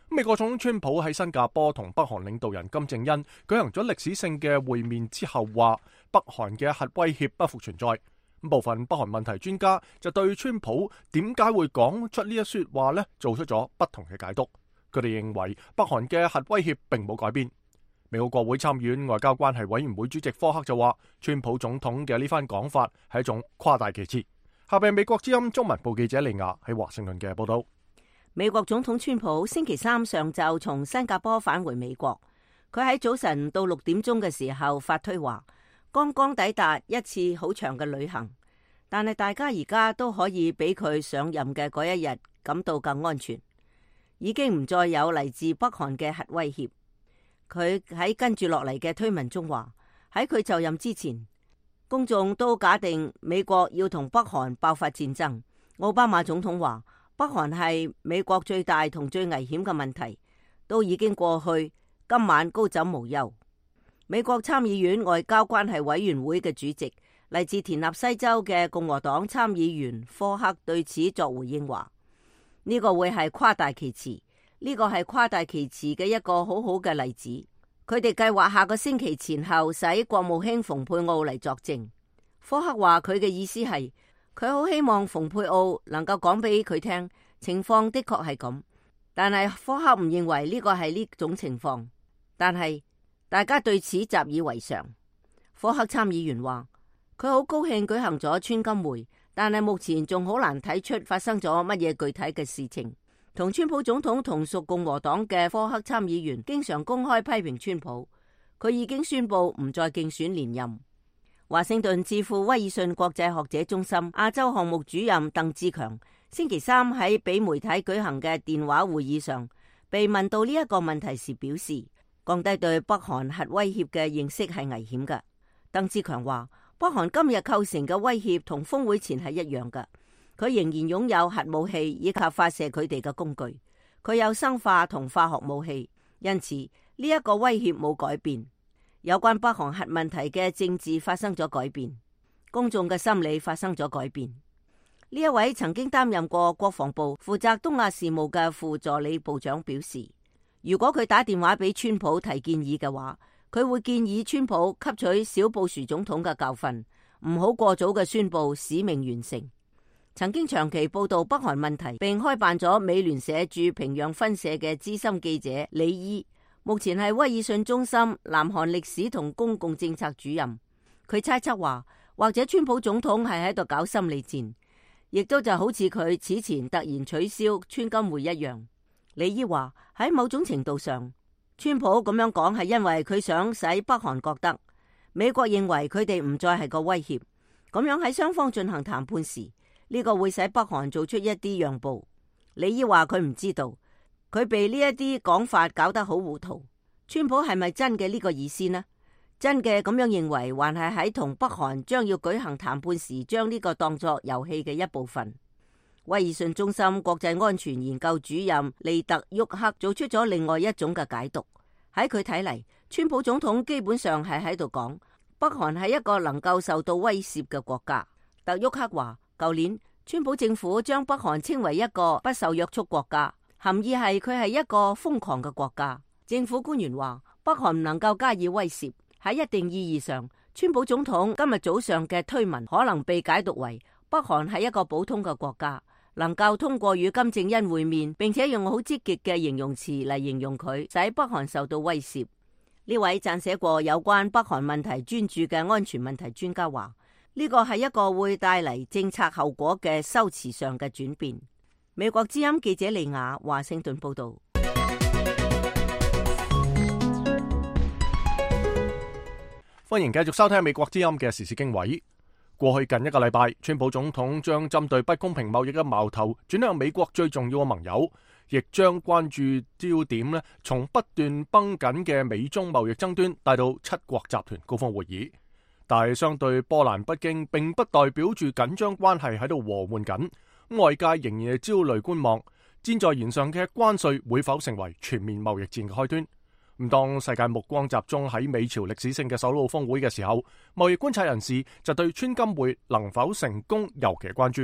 美國總統川普喺新加坡同北韓領導人金正恩舉行咗歷史性嘅會面之後，話北韓嘅核威脅不復存在。部分北韓問題專家就對川普點解會講出呢一說話呢，做出咗不同嘅解讀。佢哋認為北韓嘅核威脅並冇改變。美國國會參議院外交關係委員會主席科克就話，川普總統嘅呢番講法係一種誇大其詞。下邊美國之音中文部記者利亞喺華盛頓嘅報道。美國總統川普星期三上晝從新加坡返回美國，佢喺早晨到6點鐘嘅時候發推話，剛剛抵達一次好長嘅旅行，但係大家而家都可以比佢上任嘅嗰一日感到更安全，已經唔再有嚟自北韓嘅核威脅。佢喺跟住落嚟嘅推文中話，喺佢就任之前，公眾都假定美國要同北韓爆發戰爭。奧巴馬總統話，北韓係美國最大同最危險嘅問題，都已經過去，今晚高枕無憂。美國參議院外交關係委員會嘅主席，嚟自田納西州嘅共和黨參議員科克對此作回應話，呢個會係誇大其詞。呢個係誇大其詞嘅一個好好嘅例子。佢哋計劃下個星期前後使國務卿蓬佩奧嚟作證。科克話佢嘅意思係，佢好希望蓬佩奧能夠講俾佢聽，情況的確係咁。但係科克唔認為呢個係呢種情況。但係大家對此習以為常。科克參議員話，佢好高興舉行咗川金會，但係目前仲好難睇出發生咗乜嘢具體嘅事情。同川普總統同屬共和黨嘅科克參議員經常公開批評川普，佢已經宣布唔再競選連任。華盛頓智庫威爾遜國際學者中心亞洲項目主任鄧志強星期三喺俾媒體舉行嘅電話會議上，被問到呢一個問題時表示，降低對北韓核威脅嘅認識係危險嘅。鄧志強話，北韓今日構成嘅威脅同峰會前係一樣嘅。佢仍然擁有核武器以及發射佢哋嘅工具，佢有生化同化學武器，因此呢一個威脅冇改變。有關北韓核問題嘅政治發生咗改變，公眾嘅心理發生咗改變。呢一位曾經擔任過國防部負責東亞事務嘅副助理部長表示，如果佢打電話俾川普提建議嘅話，佢會建議川普吸取小布殊總統嘅教訓，唔好過早嘅宣布使命完成。曾經長期報道北韓問題並開辦咗美聯社駐平壤分社嘅資深記者李伊，目前係威爾遜中心南韓歷史同公共政策主任。佢猜測話，或者川普總統係喺度搞心理戰，亦都就好似佢此前突然取消川金會一樣。李伊話，喺某種程度上，川普咁樣講係因為佢想使北韓覺得美國認為佢哋唔再係個威脅，咁樣喺雙方進行談判時，呢個會使北韓做出一啲讓步。李伊話佢唔知道，佢被呢一啲講法搞得好糊塗。川普係咪真嘅呢個意思呢？真嘅咁樣認為，還係喺同北韓將要舉行談判時，將呢個當作遊戲嘅一部分。威爾遜中心國際安全研究主任利特沃克做出咗另外一種嘅解讀。喺佢睇嚟，川普總統基本上係喺度講，北韓係一個能夠受到威懾嘅國家。特沃克話，舊年，川普政府將北韓稱為一個不受約束國家，含義係佢係一個瘋狂嘅國家。政府官員話，北韓唔能夠加以威懾。喺一定意義上，川普總統今日早上嘅推文可能被解讀為北韓係一個普通嘅國家，能夠通過與金正恩會面，並且用好積極嘅形容詞嚟形容佢，使北韓受到威懾。呢位撰寫過有關北韓問題專著嘅安全問題專家話，呢個係一個會帶嚟政策後果嘅修辭上嘅轉變。美國之音記者利亞華盛頓報道。歡迎繼續收聽美國之音嘅時事經緯。過去近一個禮拜，川普總統將針對不公平貿易嘅矛頭轉向美國最重要嘅盟友，亦將關注焦點從不斷繃緊嘅美中貿易爭端帶到七國集團高峰會議。但係相對波瀾不驚，並不代表住緊張關係喺度和緩緊。外界仍然係焦慮觀望，箭在弦上嘅關稅會否成為全面貿易戰嘅開端？當世界目光集中喺美朝歷史性嘅首腦峰會嘅時候，貿易觀察人士就對川金會能否成功尤其關注。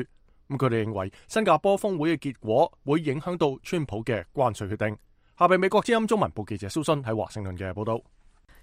佢哋認為新加坡峰會嘅結果會影響到川普嘅關稅決定。下邊美國之音中文部記者蘇信喺華盛頓嘅報道。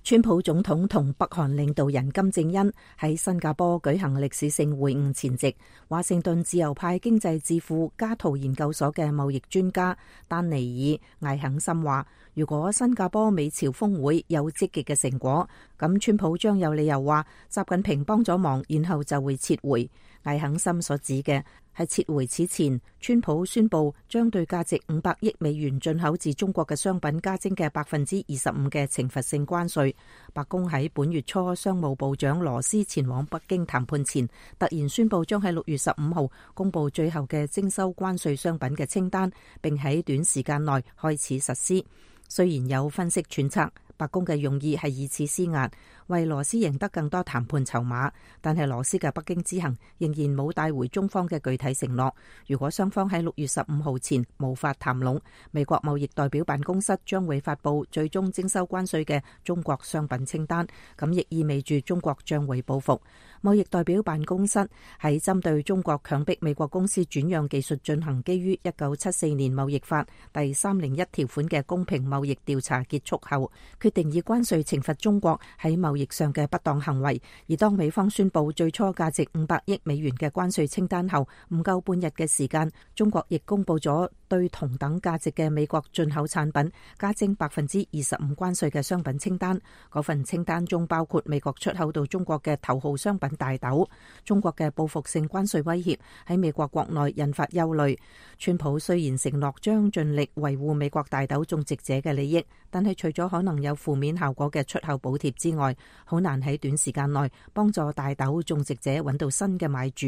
川普總統同北韓領導人金正恩喺新加坡舉行歷史性會晤前夕，華盛頓自由派經濟智庫加圖研究所嘅貿易專家丹尼爾艾肯森話，如果新加坡美朝峰會有積極嘅成果，咁川普將有理由話習近平幫咗忙，然後就會撤回。艾肯森所指嘅係撤回此前，川普宣布將對價值500億美元進口自中國嘅商品加徵嘅25%嘅懲罰性關稅。白宮喺本月初，商務部長羅斯前往北京談判前，突然宣布將喺6月15號公布最後嘅徵收關稅商品嘅清單，並喺短時間內開始實施。雖然有分析揣測，白宮嘅用意係以此施壓，為羅斯贏得更多談判籌碼，但係羅斯嘅北京之行仍然冇帶回中方嘅具體承諾。如果雙方喺6月15號前無法談攏，美國貿易代表辦公室將會發布最終徵收關稅嘅中國商品清單，咁亦意味住中國將會報復。貿易代表辦公室喺針對中國強迫美國公司轉讓技術進行基於1974年貿易法第301條款嘅公平貿易調查結束後，決定以關稅懲罰中國喺貿易上嘅不當行為。而當美方宣布最初價值500億美元嘅關稅清單後，唔夠半日嘅時間，中國亦公布咗對同等價值嘅美國進口產品加徵25%關稅嘅商品清單。嗰份清單中包括美國出口到中國嘅頭號商品大豆。中國嘅報復性關稅威脅喺美國國內引發憂慮。川普雖然承諾將盡力維護美國大豆種植者嘅利益，但係除咗可能有負面效果嘅出口補貼之外，好難喺短時間內幫助大豆種植者揾到新嘅買主。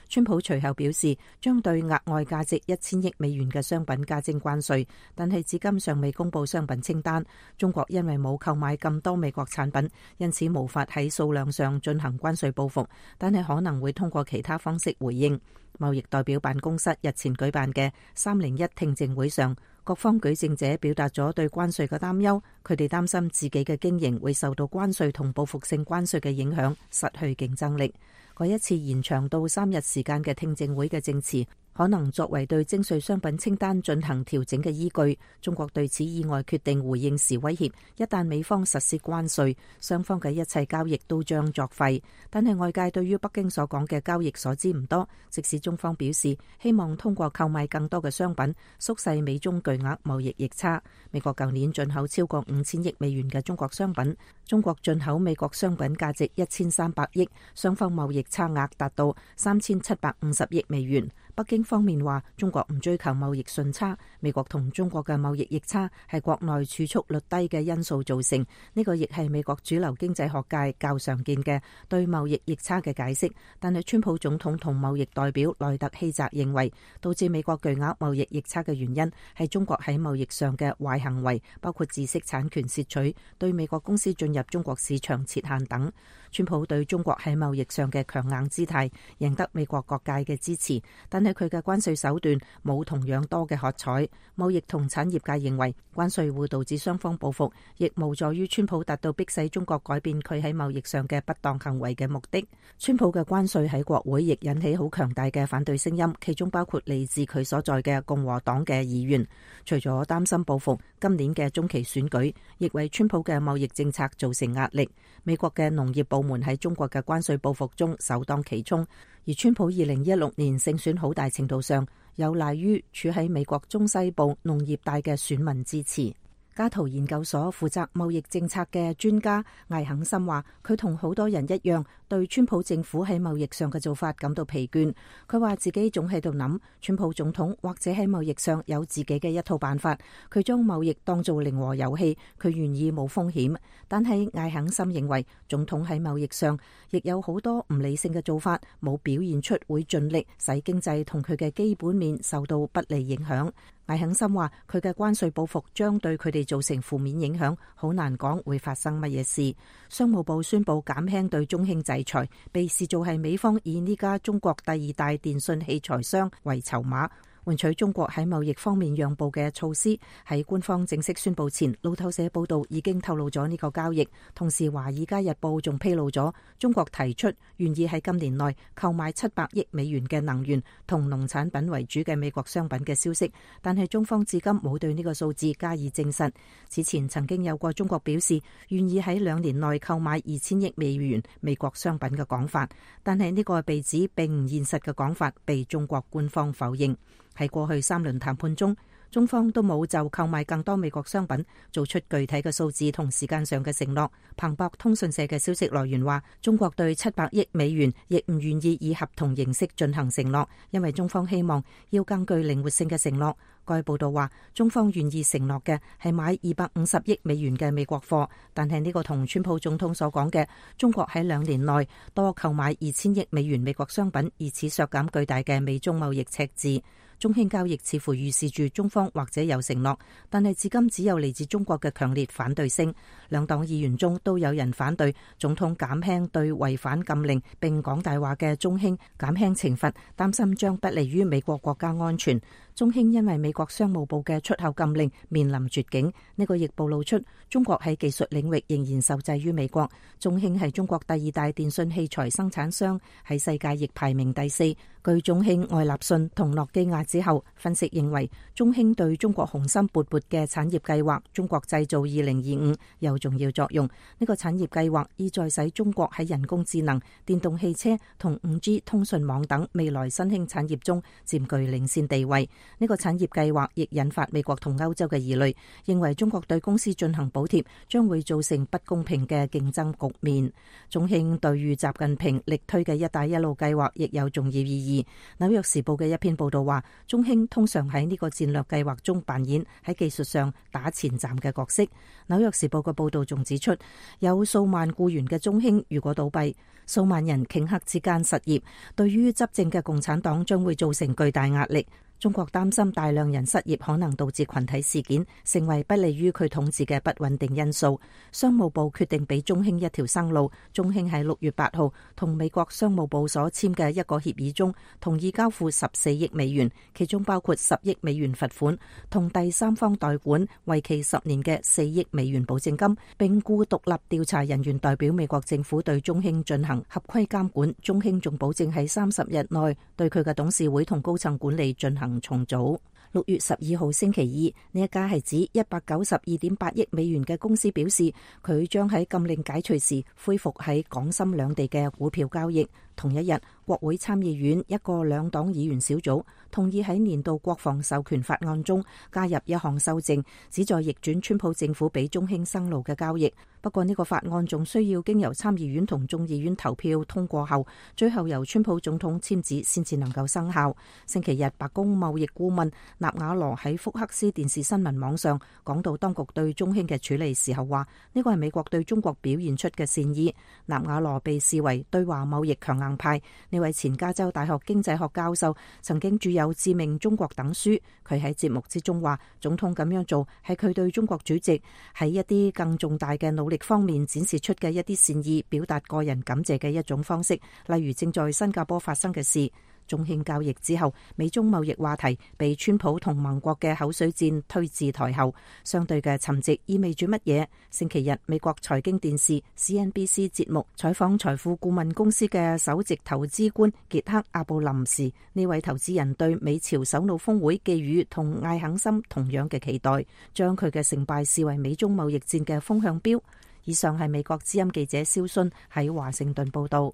川普隨後表示，將對額外價值1000億美元嘅商品加徵關稅，但係至今尚未公布商品清單。中國因為冇購買咁多美國產品，因此無法喺數量上進行關稅報復，但係可能會通過其他方式回應。貿易代表辦公室日前舉辦嘅301聽證會上，各方舉證者表達咗對關稅嘅擔憂，佢哋擔心自己嘅經營會受到關稅同報復性關稅嘅影響，失去競爭力。嗰一次延長到3日時間嘅聽證會嘅證詞，可能作為對徵稅商品清單進行調整嘅依據。中國對此意外決定回應時威脅，一旦美方實施關稅，雙方嘅一切交易都將作廢。但係外界對於北京所講嘅交易所知唔多，即使中方表示希望通過購買更多嘅商品縮細美中巨額貿易逆差。美國舊年進口超過5000億美元嘅中國商品，中國進口美國商品價值1300億，雙方貿易差額達到3750億美元。北京方面話，中國唔追求貿易順差，美國同中國嘅貿易逆差係國內儲蓄率低嘅因素造成，呢個亦係美國主流經濟學界較常見嘅對貿易逆差嘅解釋。但係川普總統同貿易代表萊特希澤認為，導致美國巨額貿易逆差嘅原因係中國喺貿易上嘅壞行為，包括知識產權竊取、對美國公司進入中國市場設限等。川普對中國喺貿易上嘅強硬姿態贏得美國各界嘅支持，但係佢嘅關稅手段冇同樣多嘅喝彩。貿易同產業界認為關稅會導致雙方報復，亦無助於川普達到迫使中國改變佢喺貿易上嘅不當行為嘅目的。川普嘅關稅喺國會亦引起好強大嘅反對聲音，其中包括嚟自佢所在嘅共和黨嘅議員。除咗擔心報復，今年嘅中期選舉亦為川普嘅貿易政策造成壓力。美國嘅農業部門喺中國嘅關稅報復中首當其衝，而川普2016年勝選好大程度上有賴於處喺美國中西部農業帶嘅選民支持。加圖研究所負責貿易政策嘅專家艾肯森話，佢同好多人一樣，對川普政府喺貿易上嘅做法感到疲倦。佢話自己總喺度諗，川普總統或者喺貿易上有自己嘅一套辦法，佢將貿易當做零和遊戲，佢願意冇風險。但係艾肯森認為，總統喺貿易上亦有好多唔理性嘅做法，冇表現出會盡力使經濟同佢嘅基本面受到不利影響。艾肯森話，佢嘅關稅報復將對佢哋造成負面影響，好難講會發生乜嘢事。商務部宣布減輕對中興制裁，被視做係美方以呢家中國第二大電信器材商為籌碼，換取中國喺貿易方面讓步嘅措施。喺官方正式宣布前，路透社報道已經透露咗呢個交易。同時，《華爾街日報》仲披露咗中國提出願意喺今年內購買700億美元嘅能源同農產品為主嘅美國商品嘅消息，但係中方至今冇對呢個數字加以證實。此前曾經有過中國表示願意喺2年內購買2000億美元美國商品嘅講法，但係呢個被指並唔現實嘅講法被中國官方否認。喺過去3輪談判中，中方都冇就購買更多美國商品做出具體嘅數字同時間上嘅承諾。彭博通訊社嘅消息來源話，中國對700億美元亦唔願意以合同形式進行承諾，因為中方希望要更具靈活性嘅承諾。該報道話，中方願意承諾嘅係買250億美元嘅美國貨，但係呢個同川普總統所講嘅中國喺2年內多購買2000億美元美國商品，以此削減巨大嘅美中貿易赤字。中興交易似乎預示住中方或者有承諾，但係至今只有嚟自中國嘅強烈反對聲。兩黨議員中都有人反對總統減輕對違反禁令並講大話嘅中興減輕懲罰，擔心將不利於美國國家安全。中興因為美國商務部嘅出口禁令面臨絕境，呢個亦暴露出中國喺技術領域仍然受制於美國。中興係中國第2大電信器材生產商，喺世界亦排名第4。據中興、愛立信同諾基亞之後，分析認為中興對中國雄心勃勃嘅產業計劃中國製造2025有重要作用。呢個產業計劃意在使中國喺人工智能、電動汽車同5G 通訊網等未來新興產業中佔據領先地位。呢個產業計劃亦引發美國同歐洲嘅疑慮，認為中國對公司進行補貼將會造成不公平嘅競爭局面。中興對於習近平力推嘅一帶一路計劃亦有重要意義。紐約時報嘅一篇報道話，中興通常喺呢個戰略計劃中扮演喺技術上打前站嘅角色。紐約時報嘅報道仲指出，有數萬僱員嘅中興如果倒閉，數萬人頃刻之間失業，對於執政嘅共產黨將會造成巨大壓力。中國擔心大量人失業可能導致群體事件，成為不利於佢統治嘅不穩定因素。商務部決定俾中興一條生路。中興喺6月8號同美國商務部所簽嘅一個協議中，同意交付14億美元，其中包括10億美元罰款同第三方代管為期10年嘅4億美元保證金，並雇獨立調查人員代表美國政府對中興進行合規監管。中興仲保證喺30日內對佢嘅董事會同高層管理進行重組。6月12號星期二，呢一家係指192.8億美元嘅公司表示，佢將喺禁令解除時恢復喺港深兩地嘅股票交易。同一日，國會參議院一個兩黨議員小組同意喺年度國防授權法案中加入一項修正，旨在逆轉川普政府俾中興生路嘅交易。不過呢個法案仲需要經由參議院同眾議院投票通過後，最後由川普總統簽字先至能夠生效。星期日，白宮貿易顧問納瓦羅喺福克斯電視新聞網上講到當局對中興嘅處理時候話，呢個係美國對中國表現出嘅善意。納瓦羅被視為對華貿易強硬派，呢位前加州大學經濟學教授曾經著有《致命中國》等書。佢喺節目之中話，總統咁樣做係佢對中國主席喺一啲更重大嘅努力方面展示出嘅一啲善意，表達個人感謝嘅一種方式。例如正在新加坡發生嘅事。中興交易之後，美中貿易話題被川普同盟國嘅口水戰推至台後，相對嘅沉寂意味住乜嘢？星期日，美國財經電視 CNBC 節目採訪財富顧問公司嘅首席投資官傑克阿布林時，呢位投資人對美朝首腦峰會寄予同艾肯森同樣嘅期待，將佢嘅成敗視為美中貿易戰嘅風向標。以上係美國之音記者蕭信喺華盛頓報道。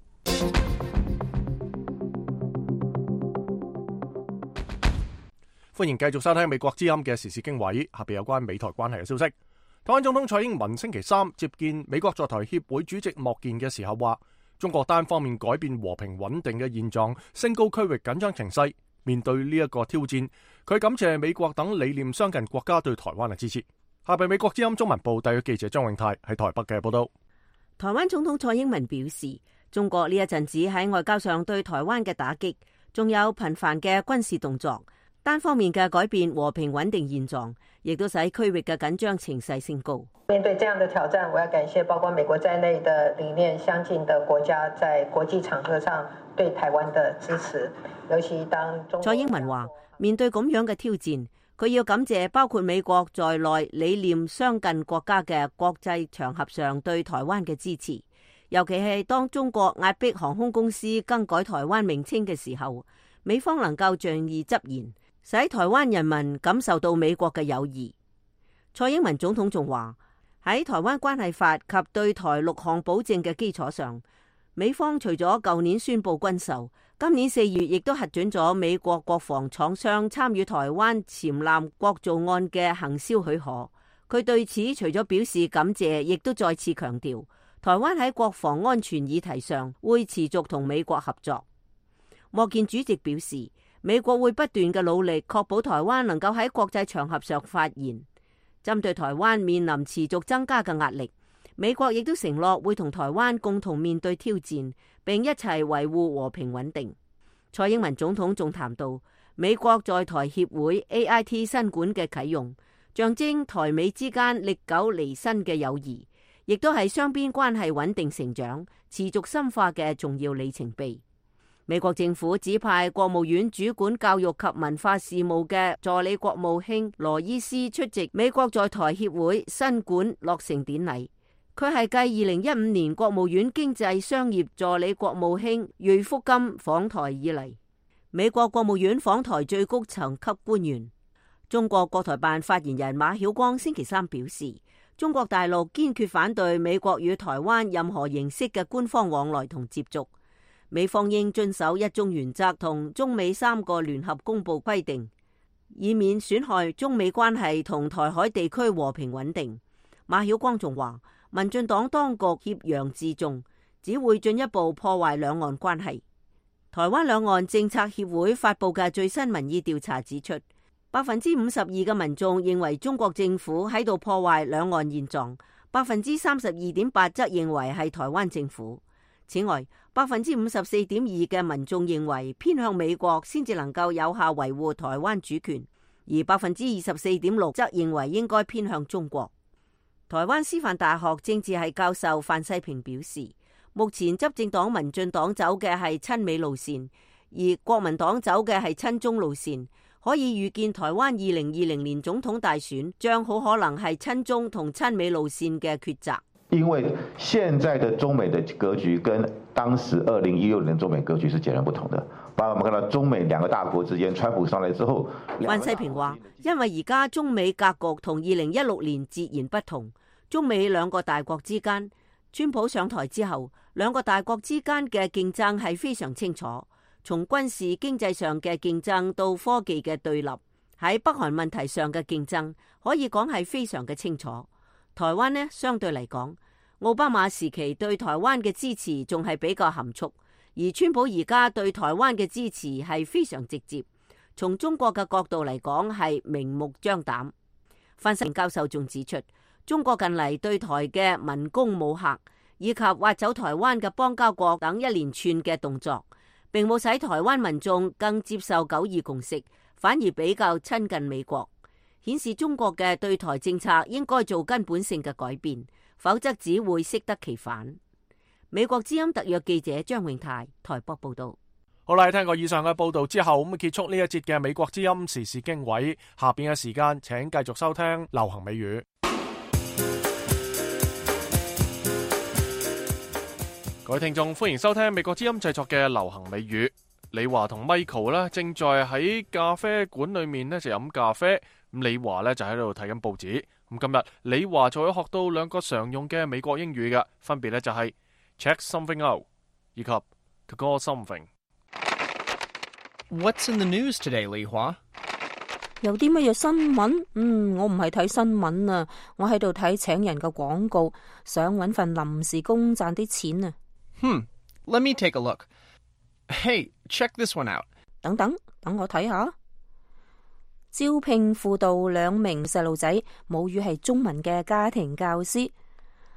歡迎繼續收聽美國之音嘅時事經緯，下邊有關美台關係嘅消息。台灣總統蔡英文星期三接見美國在台協會主席莫健嘅時候話，中國單方面改變和平穩定嘅現狀，升高區域緊張情勢。面對呢一個挑戰，佢感謝美國等理念相近國家對台灣嘅支持。下邊美國之音中文部特約記者張永泰喺台北嘅報道。台灣總統蔡英文表示，中國呢一陣子喺外交上對台灣嘅打擊，仲有頻繁嘅軍事動作，單方面嘅改變和平穩定現狀，亦都使區域嘅緊張情勢升高。面對這樣的挑戰，我要感謝包括美國在內的理念相近的國家在國際場合上對台灣的支持，尤其當蔡英文話，面對咁樣嘅挑戰，佢要感謝包括美國在內理念相近國家嘅國際場合上對台灣嘅支持，尤其係當中國壓迫航空公司更改台灣名稱嘅時候，美方能夠仗義執言，使台灣人民感受到美國嘅友誼。蔡英文總統仲話，喺台灣關係法及對台6項保證嘅基礎上，美方除咗舊年宣布軍售，今年4月亦都核准咗美國國防廠商參與台灣潛艦國造案嘅行銷許可。佢對此除咗表示感謝，亦都再次強調，台灣喺國防安全議題上會持續同美國合作。莫健主席表示，美國會不斷嘅努力，確保台灣能夠喺國際場合上發言。針對台灣面臨持續增加嘅壓力，美國亦都承諾會同台灣共同面對挑戰，並一齊維護和平穩定。蔡英文總統仲談到美國在台協會 AIT 新館嘅啟用，象徵台美之間歷久彌新嘅友誼，亦都係雙邊關係穩定成長、持續深化嘅重要里程碑。美國政府指派國務院主管教育及文化事務嘅助理國務卿羅伊斯出席美國在台協會新館落成典禮。佢係繼2015年國務院經濟商業助理國務卿芮福金訪台以嚟，美國國務院訪台最高層級官員。中國國台辦發言人馬曉光星期三表示，中國大陸堅決反對美國與台灣任何形式嘅官方往來同接觸。美方應遵守一中原則同中美3個聯合公報規定，以免損害中美關係同台海地區和平穩定。馬曉光仲話，民進黨當局挾洋自重，只會進一步破壞兩岸關係。台灣兩岸政策協會發佈嘅最新民意調查指出，52%嘅民眾認為中國政府喺度破壞兩岸現狀，32.8%則認為係台灣政府。此外，54.2% 嘅民眾認為偏向美國先至能夠有效維護台灣主權，而24.6%則認為應該偏向中國。台灣師範大學政治系教授范世平表示，目前執政黨民進黨走嘅係親美路線，而國民黨走嘅係親中路線，可以預見台灣2020年總統大選將好可能係親中同親美路線嘅抉擇。因為現在的中美的格局跟當時2016年中美格局是截然不同的，包括我們看到中美兩個大國之間，川普上來之後，范世平話，因為而家中美格局同2016年截然不同，中美兩個大國之間，川普上台之後，兩個大國之間嘅競爭係非常清楚，從軍事經濟上嘅競爭到科技嘅對立，喺北韓問題上嘅競爭，可以講係非常嘅清楚。台灣呢，相對嚟講，奧巴馬時期對台灣嘅支持仲係比較含蓄，而川普而家對台灣嘅支持係非常直接，從中國嘅角度嚟講係明目張膽。范世平教授仲指出，中國近嚟對台嘅文攻武嚇，以及挖走台灣嘅邦交國等一連串嘅動作，並冇使台灣民眾更接受九二共識，反而比較親近美國，顯示中國嘅對台政策應該做根本性嘅改變，否則只會適得其反。美國之音特約記者張永泰台北報道。好啦，聽過以上嘅報道之後，咁結束呢一節嘅美國之音時事經緯。下邊嘅時間，請繼續收聽流行美語。各位聽眾，歡迎收聽美國之音製作嘅流行美語。李華同 Michael 咧正在喺咖啡館裏面咧就飲咖啡，咁李華咧就喺度睇緊報紙。咁今日李華就會學到兩個常用嘅美國英語嘅，分別咧就係 check something out 以及 to call something。What's in the news today, 李華？有啲乜嘢新聞？我唔係睇新聞啊，我喺度睇請人嘅廣告，想搵份臨時工賺啲錢啊。Let me take a look. Hey, check this one out. 等我睇下。招聘輔導2名細路仔，母語係中文嘅家庭教師。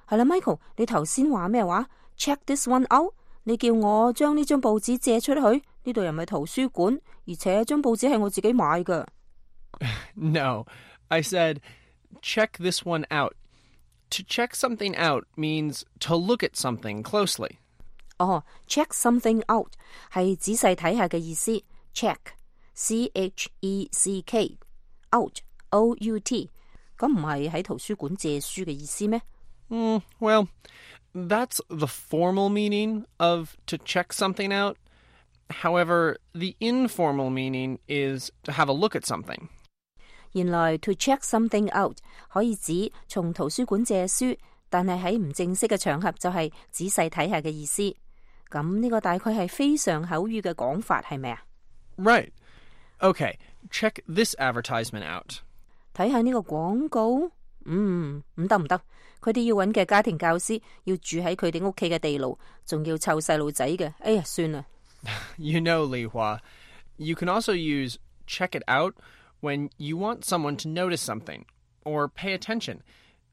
係啦 ，Michael， 你頭先話咩話 ？Check this one out。你叫我將呢張報紙借出去，呢度又唔係圖書館，而且張報紙係我自己買㗎。No, I said check this one out. To check something out means to look at something closely. Check something out 係仔細睇下嘅意思。Check, C-H-E-C-K, out, O-U-T， 咁唔係喺圖書館借書嘅意思咩？Well, that's the formal meaning of to check something out. However, the informal meaning is to have a look at something. 原來 to check something out 可以指從圖書館借書，但係喺唔正式嘅場合就係仔細睇下嘅意思。咁呢個大概係非常口語嘅講法，係咪啊？ Right. Okay, check this advertisement out. 睇下呢個廣告。唔得，佢哋要揾嘅家庭教師要住喺佢哋屋企嘅地牢，仲要湊細路仔嘅。哎呀，算啦。You know, Li Hua, you can also use check it out when you want someone to notice something or pay attention.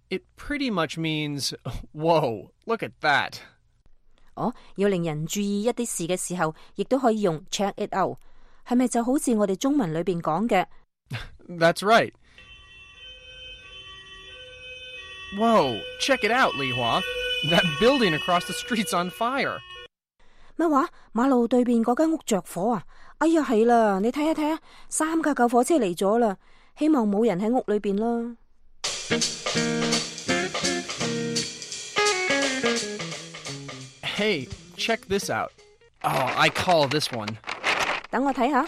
It pretty much means, whoa, look at that. 要令人注意一啲事嘅時候，亦都可以用 check it out。係咪就好似我哋中文裏邊講嘅 That's right. Whoa, check it out, Li Hua. That building across the street's on fire. 乜話？馬路對面嗰間屋着火啊！哎呀，係啦，你睇下，3架救火車嚟咗啦，希望冇人喺屋裏邊啦。Hey, check this out. Oh, I call this one. 等我睇下，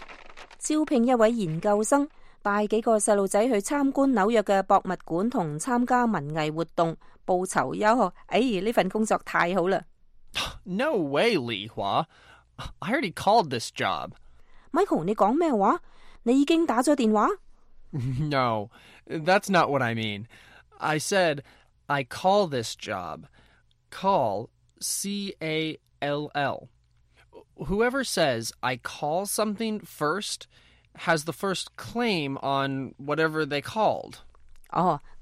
招聘一位研究生，帶幾個細路仔去參觀紐約嘅博物館同參加文藝活動，報酬優厚。呢份工作太好啦！ No way, Li Hua. I already called this job. Michael， 你講咩話？你已經打咗電話？ No, that's not what I mean. I said I call this job. Call, C-A-L-L. Whoever says I call something first has the first claim on whatever they called.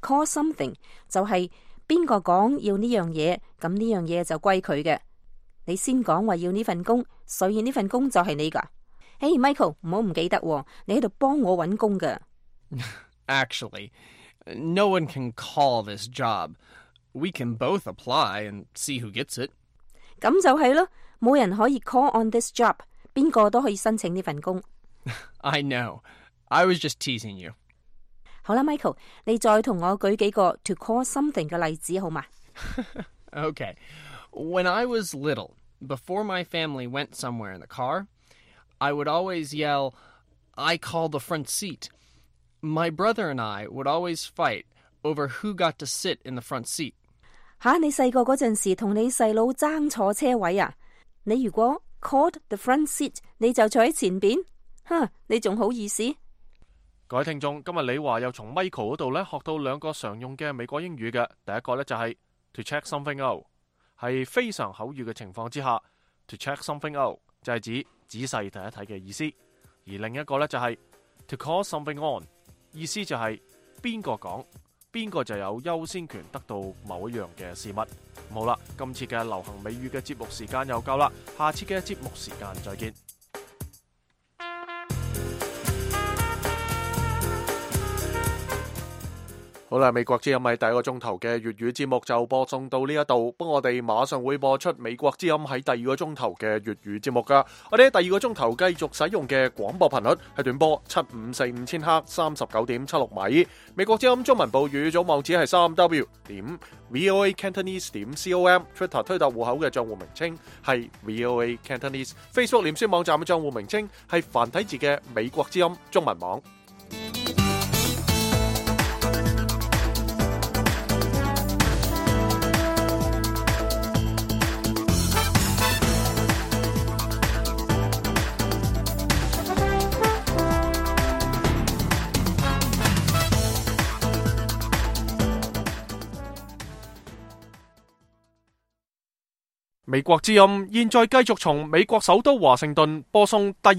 Call something 就係邊個講要呢樣嘢，咁呢樣嘢就歸佢嘅。你先講話要呢份工，所以呢份工就係你噶。Michael， 唔好唔記得喎，你喺度幫我搵工噶。Actually, no one can call this job. We can both apply and see who gets it. 咁就係咯，冇人可以 call on this job， 邊個都可以申請呢份工。I know. I was just teasing you. 好啦 ，Michael， 你再同我舉幾個 to call something 嘅例子好嘛？ Okay. When I was little, before my family went somewhere in the car, I would always yell, I call the front seat. My brother and I would always fight over who got to sit in the front seat. 你細個嗰陣時同你細佬爭坐車位啊？你如果 called the front seat， 你就坐喺前邊，你仲好意思？各位聽眾，今日李華又從 Michael 嗰度咧學到兩個常用嘅美國英語嘅。第一個咧就係 to check something out， 係非常口語嘅情況之下 to check something out 就係指仔細睇一睇嘅意思。而另一個咧就係 to call something on， 意思就係邊個講，邊個就有優先權得到某一樣嘅事物。好啦，今次嘅流行美語嘅節目時間又夠啦，下次嘅節目時間再見。好好啦，美國之音喺第一個鐘頭嘅粵語節目就播送到呢一度，不過我哋馬上會播出美國之音喺第二個鐘頭嘅粵語節目噶。我哋喺第二個鐘頭繼續使用嘅廣播頻率係短波7545千赫39.76米。美國之音中文部語組網址係3w.voacantonese.com，Twitter 推特戶口嘅賬戶名稱係 VOA Cantonese，Facebook 臉書網站嘅賬戶名稱係繁體字嘅美國之音中文網。美國之音現在繼續從美國首都華盛頓播送第二